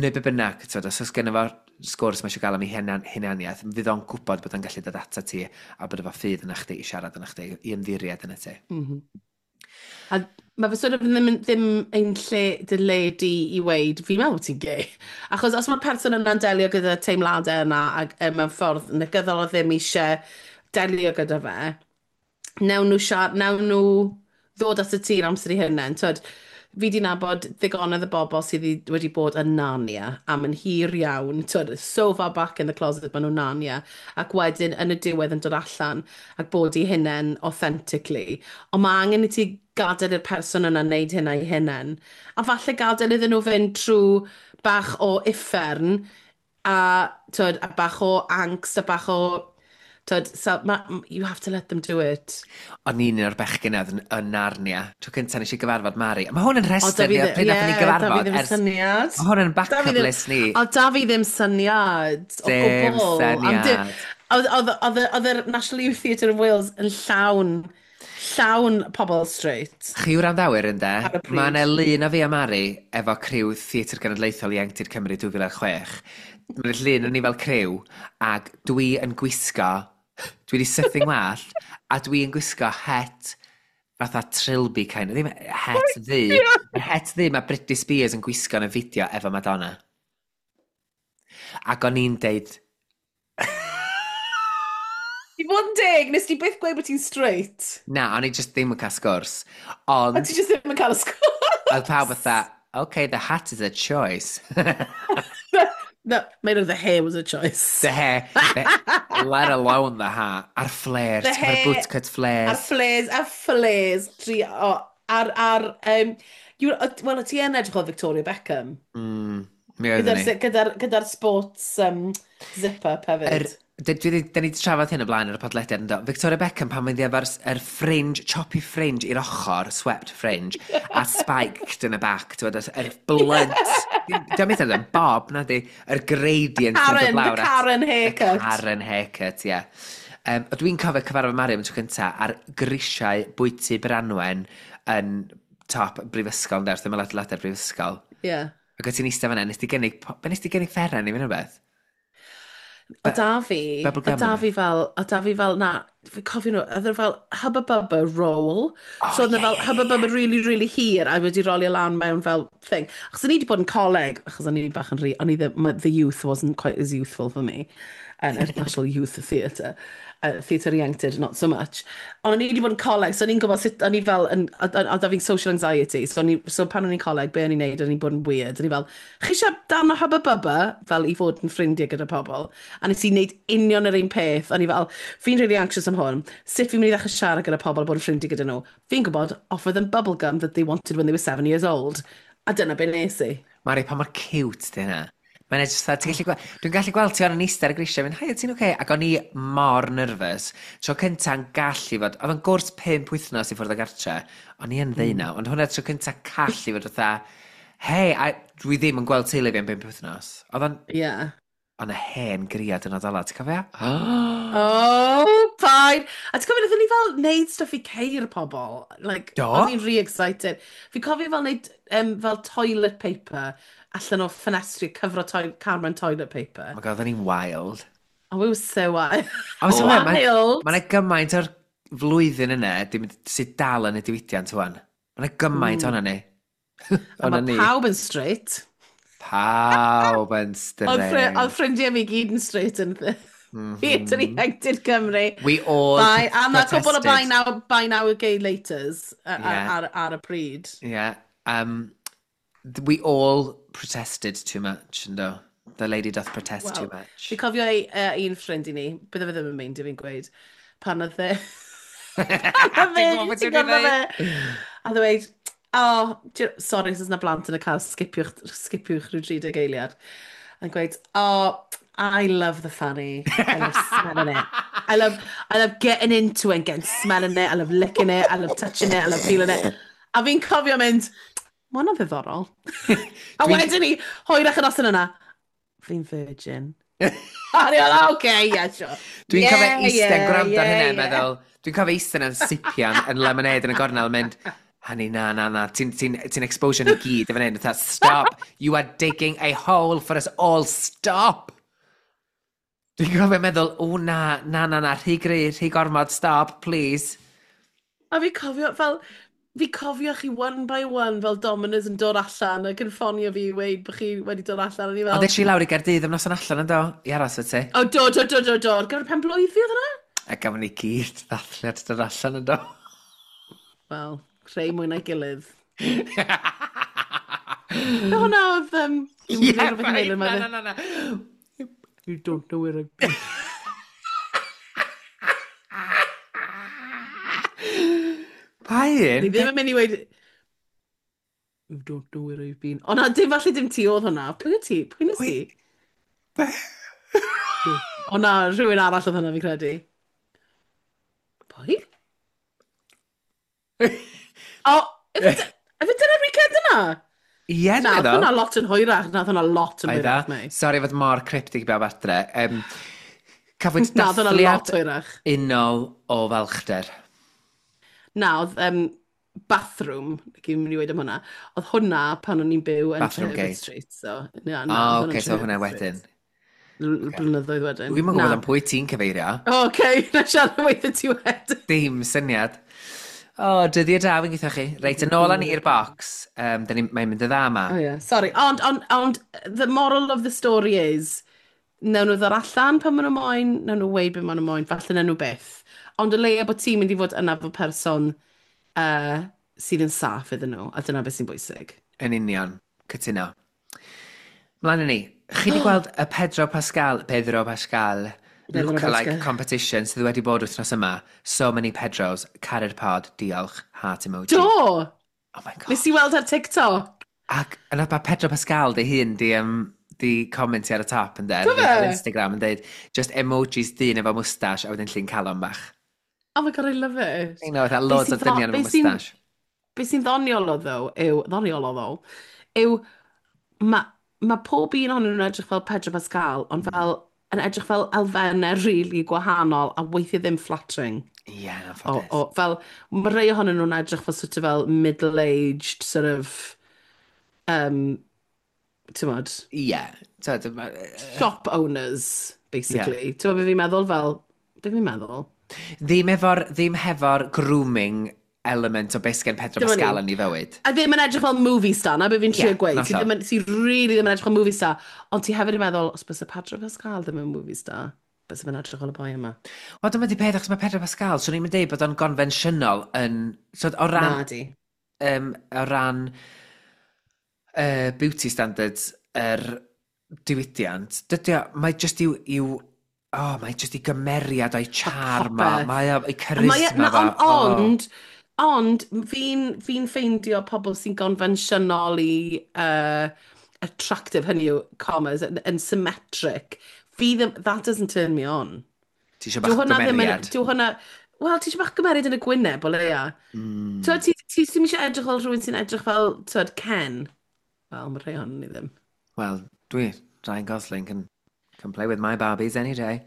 neu be bynnag, twyd, os oes gennym fo sgwrs mae eisiau gael am ei hunan, hunaniaeth, fydd o'n gwybod bod o'n gallu dod ata ti a bod efo ffydd yna chdi i siarad yna chdi, i ymddiried yna ti. Mm -hmm. A mae fe sort of ddim, ddim ein lle dy le di i weid, "Fi'n meddwl bod ti'n gay." Achos os mae'r person yna'n delio gyda teimladau yna ac e, mewn ffordd negyddol o ddim eisiau delio gyda fe, newn nhw siarad, newn nhw ddod at y ti'n amser i hynny. Twyd, fi di nabod ddigonedd y bobl sydd wedi- wedi bod yn Narnia am yn hir iawn, twyd, so far back in the closet maen nhw'n Narnia, ac wedyn yn y diwedd yn dod allan ac bod i hunain authentically. Ond mae angen i ti gadael i'r person yna wneud hynna i hunain. A falle gadael iddyn nhw fynd trwy bach o uffern a, twyd, a bach o angst a bach o. Twyd, so, ma, you have to let them do it. O'n i'n un o'r bechgyn oedd yn, yn Narnia. Tro cyntaf nes i gyfarfod Mari. A mae hwn yn O, rhestr da fi ni o ddi- pryd nathon ni ie, da fi gyfarfod. ddim Ers, syniad. mae hwn yn Da fi backup ddim- list ni. O, da fi ddim syniad. O Dim gwbl. Am dim- syniad. Oedd oedd- oedd oedd yr National Youth Theatre of Wales yn llawn, llawn pobl straight. Chi wrandawyr ynde, Ar y pryd. mae yna lun o fi a Mari efo criw Theatr Genedlaethol Ieuenctid Cymru dwy fil a chwech. Mae'n llun yn ni fel criw, ac dwi yn gwisgo, dwi wedi sythu'n wallt, a dwi yn gwisgo het fatha trilby kind of, ddim het ddu, yr het ddu mae Britney Spears yn gwisgo yn y fideo efo Madonna. Ac o'n i'n deud, I fod yn deg, nes ti byth gweud bod ti'n straight? Na, o'n i just ddim yn cael sgwrs. A Ond, ti just ddim yn cael y sgwrs. Oedd pawb fatha, "Okay, the hat is a choice." No, made of the hair was a choice. The hair, the, let alone the hat. A'r flares, The the hair, hair, bootcut flares. A'r flares, a'r flares. Tri, o, ar, ar, um, you, wel, ti yn edrych o Victoria Beckham. Mm, mi oeddwn Gyda'r i. gyda'r gyda'r sports um, zip-up hefyd. Yr Dwi, dwi, da ni wedi trafod hyn o blaen ar y podlediad yn do. Victoria Beckham pan mynd efo'r er fringe, choppy fringe i'r ochr, swept fringe, a spiked yn y back, ti'n gwbod, yr blunt. Dwi'n meddwl yn bob, na di, yr gradient sy'n Karen, dod the lawr at- Karen The haircut. Karen haircut, ie. Yeah. Um, dwi'n cofio cyfarfod Mari am y tro cynta ar grisiau bwyty Branwen yn top brifysgol, ynde, wrth ymyl adeiladau'r brifysgol. Yeah. Ac o ti'n eistedd fan'na, nes di gynnig, be nes di gynnig fferen i fynd o beth? O da fi, Bubble o gum da yna. fi fel, o da fi fel, na, fi cofio nhw, oedd e fel Hubba Bubba roll. Oh, So oedd ie, e fel ie, Hubba ie, Bubba really, really hir, a wedi rolio lan mewn fel thing. Achos o'n i wedi bod yn coleg, achos o'n i bach yn rhy, o'n i ddim, my- the youth wasn't quite as youthful for me. And National Youth Theatre. Uh, theatre ieuenctid, not so much. Ond o'n i wedi bod yn coleg, so o'n i'n gwybod sut, o'n i fel, yn, a, a, a da fi'n social anxiety, so, o'n i, so pan o'n i'n coleg, be o'n i'n neud, o'n i'n bod yn weird. O'n i fel, chi eisiau darn o Hubba Bubba, fel i fod yn ffrindiau gyda pobl? A nes i wneud union yr un peth. O'n i fel, fi'n really anxious am hwn, sut fi'n mynd i ddechrau siarad gyda pobl a bod yn ffrindiau gyda nhw? Fi'n gwybod, offer them bubble gum that they wanted when they were seven years old. A dyna be nes i. Mari, pa mor cute di hynna. Mae'n edrych fatha, ti'n gallu gweld, dwi'n gallu gweld ti o'n eistedd ar y grisiau, mynd, haia, ti'n oce? Okay? Ac o'n i mor nervous. Tro cynta'n gallu fod, oedd yn gwrs pump wythnos i ffwrdd o gartre, o'n i yn ddeunaw, ond hwnna tro cynta callu fod fatha, hei, a dwi ddim yn gweld teulu fi am bump wythnos. Oedd o'n, Yeah. o'n y hen griad yn odola, ti'n cofio? Oh, fine. A ti'n cofio, wnaethon ni fel neud stuff i ceir pobl. Like, Do? O'n i'n really excited. Fi cofio fel neud um, fel toilet paper allan o ffenestri, cyfro toi Cameron toilet paper. Oh my god, oedden ni'n wild. Oh, we were so wild. A ma' Wild! Mae yna gymaint o'r flwyddyn yna dim, sydd dal yn y diwydiant wan. Mae yna gymaint mm. o'na ni. A O'na mae ni. pawb yn straight. Pawb yn Oedd ffri- straight. oedd ffrindiau fi gyd yn straight yn Theatr Ieuenctid Cymru. We all Bye. A mae cwbl o protested. buy now, buy now gay laters ar, Yeah. ar, ar y pryd. Yeah. Um, th- we all protested too much, ynddo? The lady doth protest too Wel, much. Fi cofio ei, uh, un ffrind i ni, bydde fe ddim yn meindio fi'n gweud, pan oedd e... pan oedd e, Dwi'n gwybod beth ti'n ti'n gwybod fe? A ddweud, oh, do you- sorry, os oes 'na blant yn y car, skipiwch, skipiwch rhyw tri deg eiliad. A'n gweud, oh, I love the fanny. I love smelling it. I love, I love getting into it and getting smelling it. I love licking it. I love touching it. I love feeling it. A fi'n cofio mynd, ma hwnna'n ddiddorol. A Dwi'n- wedyn ni, hwyrach yn noson yna, fi'n virgin. A ni fel, okay, yeah, sure. Dwi'n yeah, cofio eistedd yeah, gwrando ar yeah, hynna, yeah. meddwl, dwi'n cofio eistedd yn sipian yn lemonade yn y gornel yn mynd, honey, na, na, na, ti'n ti ti exposure ni gyd efo hyn, fatha, stop, you are digging a hole for us all, stop! Dwi'n cofio meddwl, o na, na, na, na, rhy gry, rhy gormod, stop, please. A fi cofio, fel, fi cofio chi one by one fel dominos yn dod allan ac yn ffonio fi i weud bod chi wedi dod allan. A ni fel, Ond es i lawr i Gaerdydd am noson allan yn do, i aros fy ti. o, do, do, do, do, do, ar gyfer pen blwydd fi oedd hwnna? A gafon ni gyd ddathliad dod allan yn do. Wel, creu mwy na'i gilydd. Be hwnna oedd... Um, Ie, rhywbeth i paid, wneud, na, mae na, fe- na, na. You don't know where I've been. Pa un? Ni ddim yn mynd i weud... You don't know where I've been. O na, dim falle dim ti oedd hwnna. Pwy wyt ti? Pwy nes ti? O na, rhywun arall oedd hwnna fi'n credu. Pwy? O, ife dy- dyna'r weekend yna? Ie, dwi'n Na, oedd meddwl. hwnna lot yn hwyrach. Na, oedd hwnna lot yn Oedd hwyrach, o? mei. Sori fod mor cryptic i bawb adre. Um, cafwyd Na, oedd hwnna lot dathliad hwyrach. unol o falchder. Na, oedd um, bathroom, dwi'n mynd i weud am hwnna, oedd hwnna pan o'n i'n byw yn Bathroom Treherbert gate. Street. So, na, na, O, oedd hwnna'n oce, so hwnna Treherbert wedyn. Street. L- Blynyddoedd wedyn. Dwi'm yn gwybod Na. am pwy ti'n cyfeirio. O, Oce, na siarad am weithio ti wedyn. Dim syniad. O, dyddiau da, fi'n gweithio chi. Reit, yn ôl â ni i'r box. Um, ni, mae'n mynd y dda yma. Oh yeah, sorry. Ond, ond, ond, the moral of the story is, nawn nhw ddod allan pan maen nhw moyn, nawn nhw weud be maen nhw moyn, falle nawn nhw byth. Ond o leia bod ti'n mynd i fod yna fel person uh, sydd yn saff iddyn nhw, a dyna beth sy'n bwysig. Yn union, cytuno. Mlaen â ni. Chi wedi gweld y Pedro Pascal, Pedro Pascal, Pedro lookalike Pascal. competition sydd wedi bod wythnos yma. So many Pedros, caru'r pod, diolch, heart emoji. Do! Oh my god. Nes i weld ar TikTok. Ac yna mae Pedro Pascal dy hun di, um, di comentio ar y top yn Do der, fe? ar Instagram yn deud, just emojis dyn efo mwstash a wedyn llun calon bach. Oh my God, I love it. You know, fatha Be loads sy'n o dynion be efo sy'n mwstash. be sy'n ddoniol o ddo yw, ddoniol o ddo, yw mae ma pob un ohonyn nhw'n edrych fel Pedro Pascal, ond Mm. fel yn edrych fel elfennau really gwahanol a weithiau ddim flattering. Ie, yeah, yn O, anffodus. o, fel, mae rhai ohonyn nhw'n edrych fel sort of fel middle-aged sort of, um, ti'n Ie. Yeah. Shop owners, basically. Yeah. Ti'n be fi'n meddwl fel, be fi'n meddwl? Ddim efo'r, ddim hefo'r grooming element o beth sgen Pedro Dyma ni. Pascal yn ei fywyd. A ddim yn edrych fel movie star, na be fi'n trio Ie, gweud. Ti hollol. ddim yn, ti really ddim yn edrych fel movie star. Ond ti hefyd yn meddwl, os byse Pedro Pascal ddim yn movie star, byse fe'n edrych fel y boi yma. Wel, dyma di peth, achos mae Pedro Pascal, swn i'n deud bod o'n gonfensiynol yn... So, o ran, Na di. um, o ran uh, beauty standards yr diwydiant, dydy o, mae just i'w, i'w oh, mae just i gymeriad o'i charm o, popeth. mae o, ei A mae e- charisma na, fo. ond, ond, ond fi'n fi ffeindio pobl sy'n gonfensiynol i uh, attractive, hynny yw, commas, yn, yn symmetric. Fi ddim, that doesn't turn me on. Ti eisiau Dyw bach hwnna ddim yn, gymeriad? dyw hwnna, wel, ti eisiau bach gymeriad yn y gwyneb, o leia. Mm. T'wod, ti, ti ddim eisiau edrych fel rhywun sy'n edrych fel, t'wod, Ken. Wel, mae rhai ohonyn ni ddim. Wel, dwi, Ryan Gosling can, can play with my Barbies any day.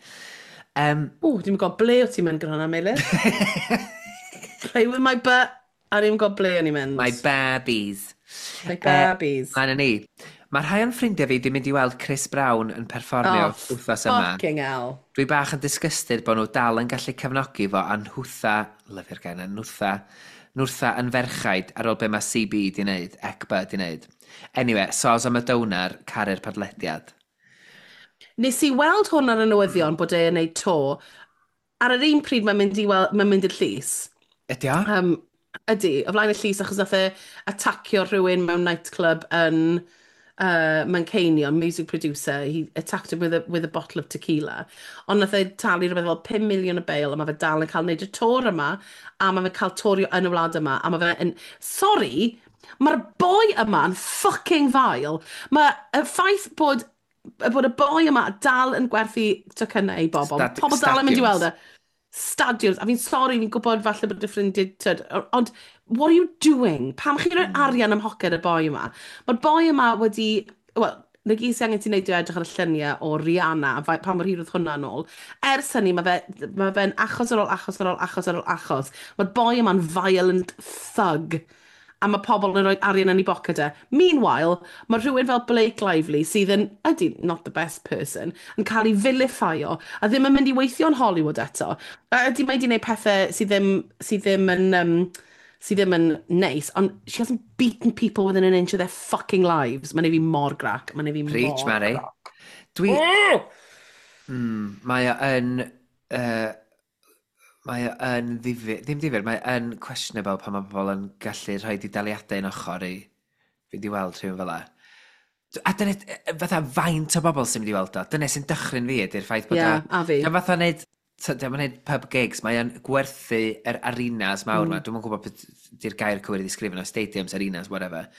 Um, O, dwi'n gwybod ble o ti'n mynd gyda hwnna, Meilir. Play with my butt. A dwi'n gwybod ble o'n i'n mynd. My Barbies. My Barbies. Mlaen â ni. Mae rhai o'n ffrindiau fi wedi mynd i weld Chris Brown yn perfformio Oh, wythnos yma. fucking hell. Dwi bach yn disgusted bod nhw dal yn gallu cefnogi fo a nhwtha, lyfio'r gair yna, nhwtha, nhwtha yn ferchaid ar ôl be mae C B di wneud, E C B di wneud. Anyway, soz am y downer, caru'r podlediad. Nes i weld hwn ar y newyddion bod e'n neud tour. Ar yr un pryd mae'n mynd i wel, mae'n mynd i'r llys. Ydy o? Um, ydy, o flaen y llys achos nath e atacio rhywun mewn nightclub yn uh, Manceinion, music producer. He attacked him with a, with a bottle of tequila. Ond nath e talu rhywbeth fel pum miliwn o bail a mae fe dal yn cael wneud y tour yma a mae fe'n cael tourio yn y wlad yma a mae fe yn... Sorry, mae'r boi yma yn fucking vile. Mae y ffaith bod bod y boi yma dal yn gwerthu tocynnau i bobl. Stad- Pobl dal yn mynd i weld e. Stadiums. Stadiums. A fi'n sori, fi'n gwybod falle bod y ffrindiau... Tyd, ond what are you doing? Pam chi'n rhoi arian ym mhoced y boi yma? Mae'r boi yma wedi... Wel, na gyd sy'n angen ti'n neud yw edrych ar y lluniau o Rihanna, a fa- pa mor hir oedd hwnna nôl. Ers hynny, mae fe, mae fe'n achos ar ôl achos ar ôl achos ar ôl achos. Mae'r boi yma'n violent thug a mae pobl yn rhoi arian yn ei boced e. Meanwhile, mae rhywun fel Blake Lively, sydd yn, ydy, not the best person, yn cael ei vilifio a ddim yn mynd i weithio yn Hollywood eto. A ydy, mae wedi gwneud pethau sydd ddim, sydd ddim yn, um, sydd ddim yn neis, ond she hasn't beaten people within an inch of their fucking lives. Mae'n ei fi mor grac. Mae'n ei fi Preach, mor Mary. grac. Dwi... Mm, mae o yn... Uh, mae o yn ddifyr, ddim difyr, mae o yn questionable pan mae pobl yn gallu rhoi daliadau yn ochr i fynd i weld rhywun fel 'a. A dyna, fatha faint o bobl sy'n mynd i weld o. Dyna sy'n dychryn fi ydy'r ffaith bod Ie, o... a fi. Dio'm fatha neud, dio'm yn neud pub gigs, mae o'n gwerthu yr arenas mawr mm. ma. Dwi'm yn gwybod beth di'r gair cywir i ddisgrifio nhw, stadiums, arenas, whatever.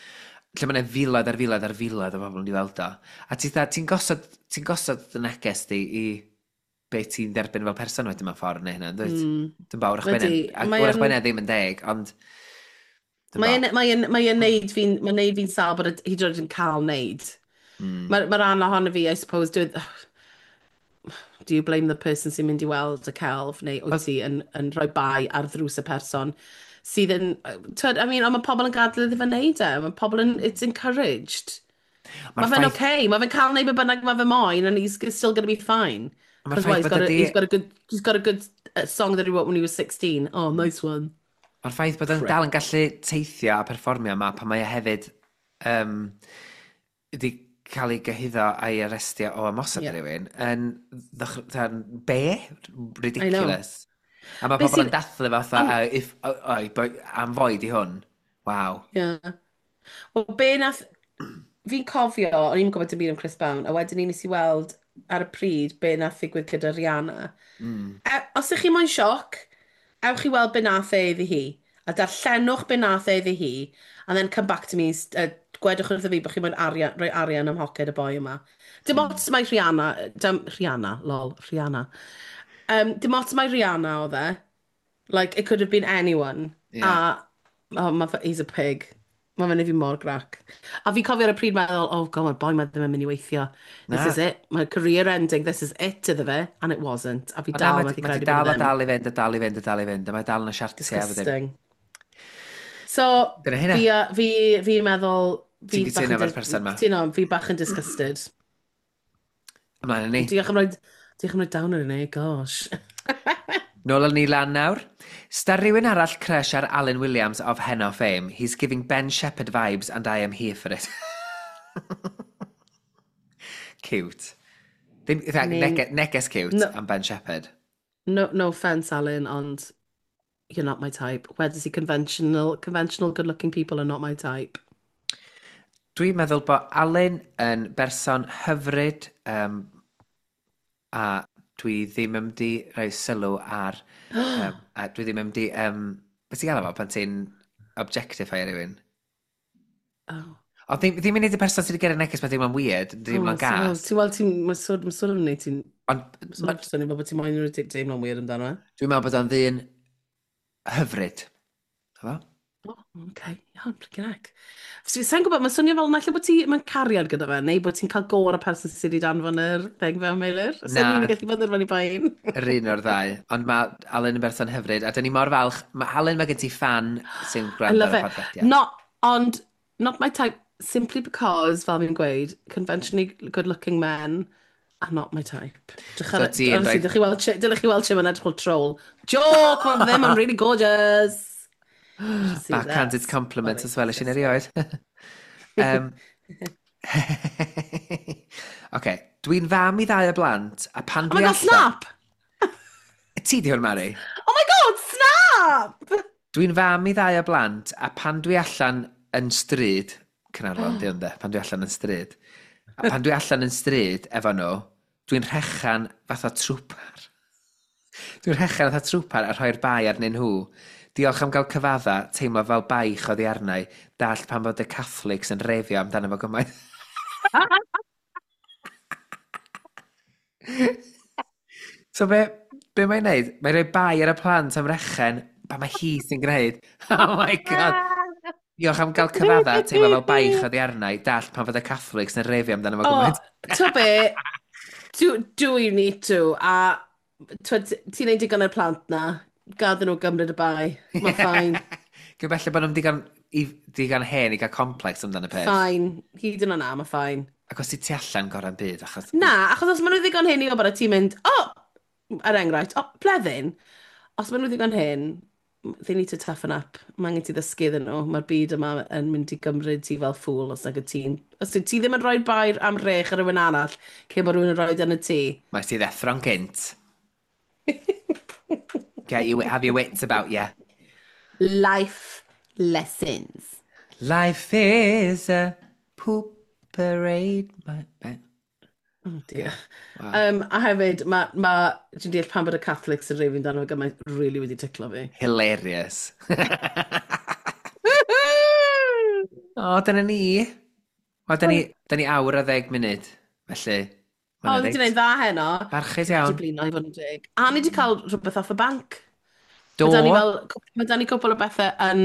Lle mae'n filoedd ar filoedd ar filoedd o bobl yn mynd i weld o. A ti'n ti gosod, ti'n gosod dy neges di i be ti'n derbyn fel person wedyn mewn ffordd neu hynna, dwyt? Mm. Dwi'n bawr wrach Ydi, bynnag, mae wrach yn- bynnag ddim yn deg, ond dwi'm Mae'n bo. mae mae neud fi'n mae'n neud fi'n sâl bod hyd yn oed yn cael neud. Mm. Mae ma rhan ohono fi, I suppose, do, do you blame the person sy'n mynd i weld y celf, neu wyt ti yn, yn rhoi bai ar ddrws y person sydd yn... Twyd, I mean, ond mae pobl yn gadael iddo fe wneud e. Mae pobl yn... It's encouraged. Mae'r Mae fe'n ffaith- okay. Mae fe'n cael neud be bynnag mae fe moyn, and he's still going to be fine. Ma'r Because why, ffaith he's bod got, a, ydi- he's got a good, he's got a good uh, song that he wrote when he was sixteen. Oh, nice one. Mae'r ffaith bod o'n dal yn gallu teithio a perfformio yma pan mae o hefyd um, wedi cael ei gyhuddo a'i arestio o ymosod Ie. yeah. rhywun yn ddych- yn be? Ridiculous. A mae Be pobl yn sy'n- dathlu fatha, uh, if, oh, oh, boi- am foed i hwn. Waw. Yeah. Wel, be nath... Fi'n cofio, o'n i'n gwybod dim byd am Chris Brown, a wedyn ni nes i weld ar y pryd be nath ddigwydd gyda Rihanna. Mm. E, os ych chi moyn sioc, ewch i weld be nath e iddi hi. A darllenwch be nath e iddi hi, and then come back to me uh, Gwedwch wrtho fi bod chi'n moyn arian, rhoi arian ym mhoced y boi yma. Dim Mm. ots mai Rihanna, dim, Rihanna, lol, Rihanna. Um, dim ots mai Rihanna oedd e. Like, it could have been anyone. Yeah. A, oh, ma fe, he's a pig. Mae fe'n neud fi mor grac. A fi cofio ar y pryd meddwl, oh god, mae'r boi ma ddim yn mynd i weithio. This Na. is it. My career ending. This is it iddo fe. And it wasn't. A fi Ond na, dal mae methu ma di credu bod dal e a ddim. dal i fynd, a dal i fynd, a dal i fynd, a mae dal yn y siartiau. a wedyn- Disgusting. So, Dyna hynna. fi, a- fi, fi'n meddwl... Fi Ti'n cytuno bach yn efo'r dis- person 'ma? Cytuno, fi bach yn disgusted. Ymlaen â ni. Diolch am roi, diolch am roi down ar ni, gosh. Nôl â ni lan nawr. Sta rhywun arall crush ar Alan Williams of Heno fame. He's giving Ben Shepherd vibes and I am here for it. Cute. Ddim, in fact, I mean, nege, neges cute no- am Ben Shepherd. No, no offence, Alan, ond you're not my type. Where does he conventional, conventional good-looking people are not my type. Dwi'n meddwl bod Alun yn berson hyfryd um, a dwi ddim yn mynd i rhoi sylw ar... um, a dwi ddim yn mynd i... Um, beth ti'n gael efo pan ti'n objectify rhywun? Oh. Ond ddim, ddim yn neud y person sydd wedi gyrru neges, mae ddim yn weird, ddim yn Oh, so, gas. Ti'n weld ti'n... Mae'n sort, ma sort of neud ti'n... Ond Sort of swnio fel bod ti'n moyn rhoi deimlo'n weird amdano e. dwi'n meddwl bod o'n ddyn hyfryd. Efo? Oh, okay. Iawn, flipping heck. So, Sa'n gwybod, mae'n swnio fel naill ai bod ti mewn cariad gyda fe, neu bod ti'n cael go ar y person sydd wedi danfon yr thing fel Meilir. Na. Sa'n ni'n gallu bod yn fyny pain. Yr un o'r ddau. Ond mae Alun yn berson hyfryd, a dyn ni mor falch. Mae Alun, mae gen ti fan sy'n I gwrando love ar y it. podlediad. Not, ond, not my type, simply because, fel fi'n gweud, conventionally good-looking men are not my type. Drych So ar, ti yn honestly, rhoi- dych chi weld, dylech chi weld mae'n edrych fel troll. Joke, mae ddim, I'm really gorgeous. You should see Backhanded this. compliment Sorry, as well, eisiau erioed. um, Oce, dwi'n fam i ddau o blant, a pan Oh my dwi god, snap! Ti di hwn, Mari? Oh my god, snap! Dwi'n fam i ddau o blant, a pan dwi allan yn stryd, Caernarfon, di hwn de, pan dwi allan yn stryd, a pan dwi allan yn stryd efo nhw, dwi'n rhechan fatha trwpar. Dwi'n rhechan fatha trwpar a rhoi'r bai arnyn nhw. Diolch am gael cyfadda, teimlo fel baich oddi arnau, dallt pan bod y Catholics yn refio amdano fo gymaint. So be, be mae'n neud? Mae'n rhoi bai ar y plant am rechen, pa mae hi sy'n gwneud. Oh my god. Diolch am gael cyfadda, teimlo fel baich oddi arnau, dallt pan fod y Catholics yn refio amdano fo Oh, gymaint. to be, do, do you need to? A twyd, ti'n neud digon i'r plant na, gad nhw gymryd y bai. Mae'n fine. Cyn belled bod nhw'n digon, i, digon hen i gael complex amdano y peth. Fine. Hyd yn oed na, mae fine. Ac os ti tu allan gorau'n byd, achos... Na, achos os maen nhw ddigon hen i wybod a ti'n mynd, oh, er enghraifft, oh, bleddyn. Os maen nhw ddigon hen, they need to toughen up. Mae angen ti ddysgu iddyn nhw. Mae'r byd yma yn mynd i gymryd ti fel ffŵl os nag y ti'n... Os ti ti ddim yn rhoi bai am rech ar rhywun arall, cyn bod rhywun yn rhoi yn y tŷ. Mae ti ddeffro'n gynt. Get you, have your wits about you. Life lessons. Life is a poop parade. My... Oh dear. Wow. Um, a hefyd, mae, ma, dwi'n deall pam bod y Catholics yn rhywun dan o gymaint really wedi ticlo fi. Hilarious. O, dyna ni. Wel, dyna ni, dyna ni awr a ddeg munud. Felly, O, ma' hwnna ni wedi reit. gwneud dda heno. Barchus Wedi iawn. blino i fod yn deg. A ni wedi cael rhywbeth off y banc. Do. Mae da ni fel, mae da ni cwpl o bethau yn,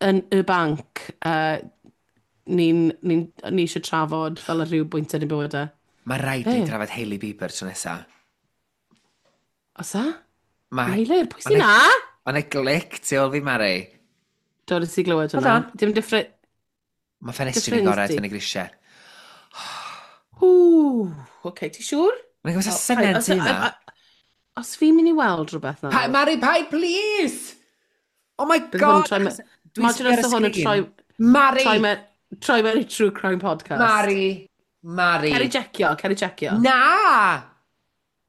yn y banc. Uh, ni'n, ni, ni eisiau trafod fel ar rhyw bwynt yn y bywydau. Mae rhaid ni Be? drafod Hailey Bieber tro nesa. Os a? Mae... Meilir, pwy sy'n na? Mae'n e glic tu ôl fi, Mari. Do, nes i glywed Hold hwnna. on. Dim different... Mae ffenestri Dy ni'n ffrind gorau di. fyny grisiau. Ww, oce, ti siŵr? Mae'n gwybod O, syniad paid- ti os- yma. a- a- Os fi'n mynd i weld rhywbeth nawr... Pa, Mari, paid, please! Oh my Bydd hwn yn god! troi me- achos Dwi'n Imagine sbio ar os y oedd hwn yn sgrin. troi... Mari! Troi mewn troi mewn i True Crime Podcast. Mari! Mari! Ceri jecio, ceri jecio. Na!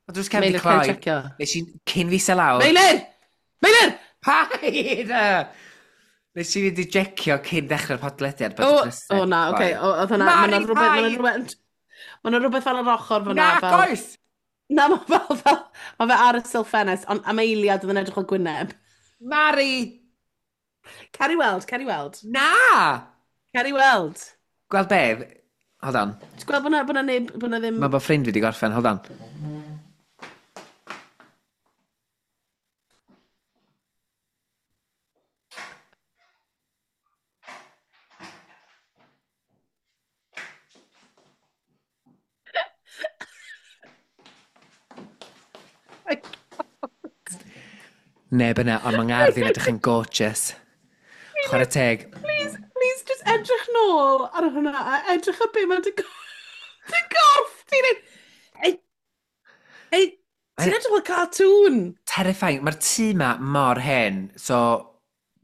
Mae drws cefn di Meilir, ceri cloi. jecio. Nes i cyn fi se lawr. Meilir! Meilir! Paid! Nes i fynd i jecio cyn dechrau'r podlediad. bod O, y drysau o 'di na, cloi. oce. o, Oedd hwnna, ma' Mari, 'na rhywbeth, ma' 'na paid! rhywbeth, ma' 'na rhywbeth fel yr ochr fyna. Na, fel, goes! Na, ma' fel, fel, ma' fe ar y sil ffenest, ond am eiliad oedd yn edrych fel gwyneb. Mari! Ceri weld, ceri weld. Na! Ceri weld. Gweld be? Hold on. Ti'n gweld bod na, bod na neb, bod na ddim... Mae bod ffrind fi wedi gorffen, hold on. Neb yna, ond mae ngardd i'n edrych yn gorgeous. Chwarae teg. Please, please, just edrych nôl ar hwnna a edrych ar be mae'n dy dy gorff ti'n neud. Ei, ei, ti'n edrych fel cartoon. Terrifying. Mae'r tŷ ma mor hen, so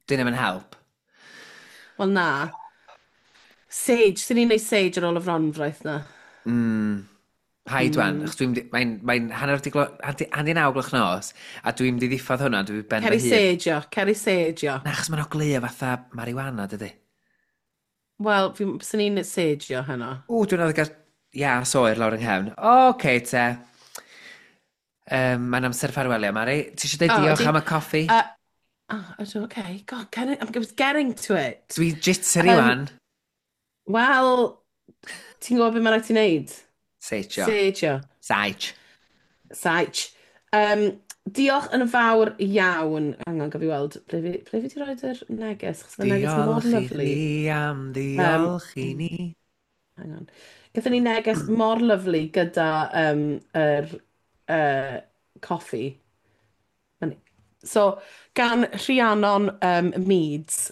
dyn nhw'n help. Wel na. Sage, sy'n ni'n neud sage ar ôl y fronfraith na. Mm. Paid mm. wan, achos dwi'n mae'n mae hanner di, glo, hanner naw gloch nos, a dwi'n mynd i ddiffodd hwnna, dwi'n ben fy hun. Ceri sage o, ceri sage o. Na, achos mae'n ogleuo fatha marijuana, dydy. Wel, sy'n ni'n sage o heno. O, dwi'n meddwl gael ias oer lawr yng nghefn. O, oce te. Um, mae'n amser ffarwelio, Mari. Ti eisiau dweud oh, diolch am y coffi? Uh, oh, ydw, okay. God, can I, I was getting to it. Dwi'n jittery um, wan. Wel, ti'n gwybod beth mae'n rhaid ti wneud? Seitio. Seitio. Saich. Saich. Um, diolch yn fawr iawn. Hang on, gaf i weld, ble fi, ble fi di roed yr neges? Chos mae'r neges mor Diolch i lyfli. chdi am ddiolch i ni. Hang on. Gathon ni neges mor lyfli gyda um, yr uh, coffi. So, gan Rhiannon um, Meads,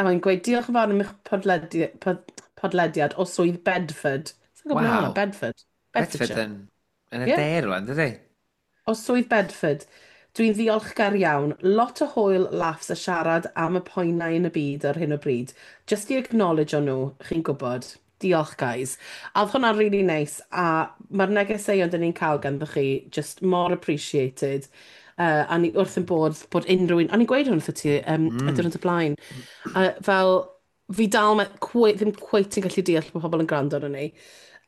a mae'n gweud, diolch yn fawr am eich podledi pod, podlediad o swydd Bedford. Sa'n gwybod Waw. Bedford. Bedford Bedfordshire. yn, yn y Yeah. de rwan, dydy? O swydd Bedford. Dwi'n ddiolchgar iawn. Lot o hwyl, laughs a siarad am y poenau yn y byd ar hyn o bryd. Just i acknowledge o nhw, chi'n gwybod. Diolch, guys. A oedd hwnna'n really nice. A mae'r negeseuon dyn ni'n cael ganddo chi just more appreciated. Uh, a ni wrth yn bod bod unrhyw un... A ni'n gweud hwn wrth ti um, mm. y diwrnod y blaen. Uh, fel, fi dal ma, cwe, ddim cweit yn gallu deall bod pobl yn gwrando arno ni.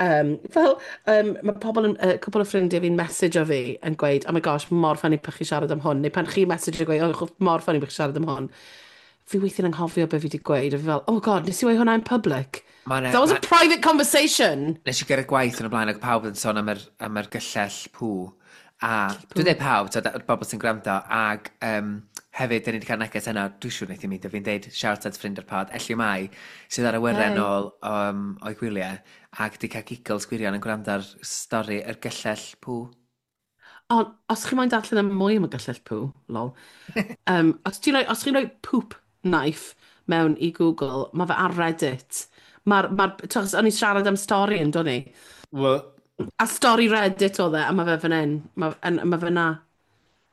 Um, fel, um, mae pobl yn, uh, cwpl o ffrindiau fi'n message o fi yn gweud, oh my gosh, mor funny pan chi siarad am hwn. Neu pan chi message o gweud, oh, mor funny pan chi siarad am hwn. Fi weithiau'n anghofio be fi wedi gweud. A fi fel, oh god, nes i weud hwnna in public? Ma' 'na- That was ma' a private conversation. Nes i gyrraedd gwaith yn y blaen ac pawb yn sôn am yr, am yr gyllell pŵ. A dwi'n dweud pawb, t'od, y bobl sy'n gwrando, ac um, hefyd, dyn ni wedi cael neges yna, dwi'n siŵr wnaeth i mi, fi'n deud shout out ffrind o'r pod, Elliw Mai, sydd ar awyren Hey. ôl um, o'i gwyliau, ac wedi cael giggles gwirion yn gwrando ar stori yr gyllell pŵ. Ond, os chi moyn darllen am mwy am y gyllell pŵ, lol, um, os ti'n rhoi, os chi'n rhoi poop knife mewn i Google, mae fe ar Reddit. Mae'r, ma o'n i'n siarad am stori yn, do'n i? Well. A stori Reddit oedd e, a mae fe fan hyn. Mae ma fe na.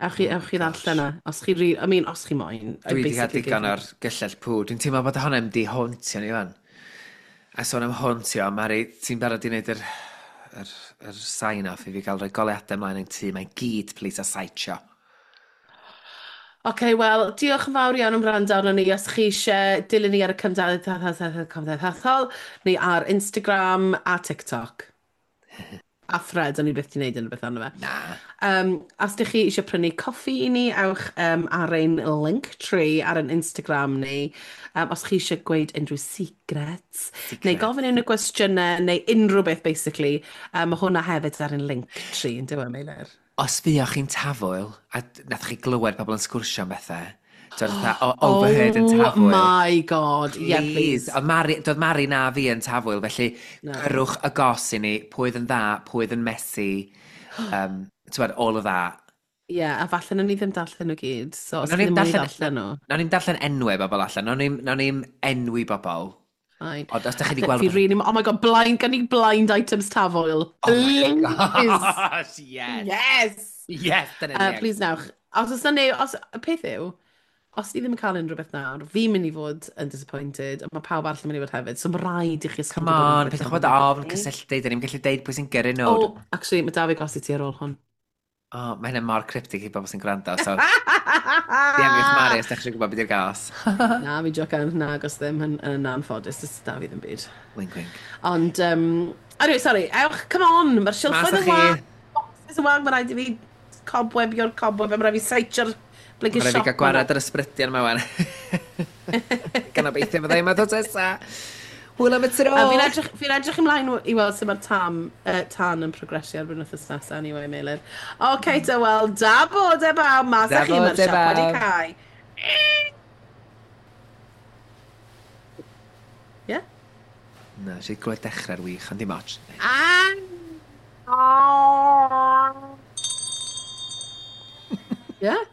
Ewch chi, Oh ewch chi my ddarllen gosh. e. Os chi, re- I mean, os chi moyn. I Dwi wedi cael basically digon gave o'r gyllell pŵ. Dwi'n teimlo bod hwnna mynd i hauntio ni fan. A sôn am hauntio, Mari, ti'n barod i wneud yr, yr, yr sign-off i fi gael rhoi goleuadau ymlaen yn tŷ. Mae'n gyd, please, a saitio. Oce, wel, diolch yn fawr iawn am wrando arno ni. Os chi eisiau dilyn ni ar y cymdeithasol, neu ar Instagram a TikTok. A Thread, o'n i byth di wneud unrhyw beth arno fe. Na. Um, os ydych chi eisiau prynu coffi i ni, ewch um, ar ein Linktree ar ein Instagram ni. Um, os chi eisiau gweud unrhyw secrets, Secrets. neu gofyn unrhyw gwestiynau, neu unrhyw beth, basically. Um, mae hwnna hefyd ar ein Linktree, yn dyw e, Meilir? Os fuoch chi'n tafwyl, a nath chi glywed pobl yn sgwrsio am bethau, t'od fatha, o- overheard yn Oh tafwyl. my god, yeah, please. Ond Mari, doedd Mari na fi yn tafwyl, felly No. gyrrwch y gos i ni, pwy oedd yn dda, pwy oedd yn messy, um, t'wod, all of that. Ie, yeah, a falle nawn ni ddim darllen nhw gyd, so os Nawn chi ni'm ddim moyn darllen- darllen nhw. Nawn ni'm darllen enwau bobl allan, nawn ni'm, nawn ni'm enwi bobl. Fine. Ond os dach chi 'di Fi gweld rhywbeth- really, oh my god, blind, gan i blind items tafwyl. Oh my Please. gosh, yes. Yes! Yes, dyna Uh, ni. please newch. Os oes na neu, os, y peth yw, os ni ddim yn cael unrhyw beth nawr, fi'n mynd i fod yn disappointed, a mae pawb arall yn mynd i fod hefyd, so mae rhaid i chi Come on, peidiwch bod ofn, cysylltu, dyn ni'n gallu deud pwy sy'n gyrru nhw. Oh, actually, mae David gos i ti ar ôl hwn. Oh, mae hynny mor cryptic i bobl sy'n gwrando, so diangiwch Mari os da chi eisiau gwybod beth yw'r gas. Na, fi jocan, na, gos ddim yn, yn anffodus, dys David ddim byd. Wink, wink. Ond, um, anyway, sorry, ewch, come on, mae'r Mas silffoedd â yn chi. wag, boxes yn wag, mae rhaid i fi cobwebio'r cobweb, mae rhaid i fi seitio'r blinking Mae rhaid i fi siop gael gwared yr ysbrydion yma wan. Gan obeithio fydda i yma ddod nesa. Hwyl am y tro! A fi'n edrych, fi edrych ymlaen i weld sut mae'r tam, uh, tan yn progresio erbyn wythnos nesaf, anyway, Meilir. Oce, okay, mm. Wel, da bod e bawb, mas â chi, mae'r siop wedi cau. Yeah? Na, eisiau glywed dechrau'r wych, ond dim ots. Ah! Yeah?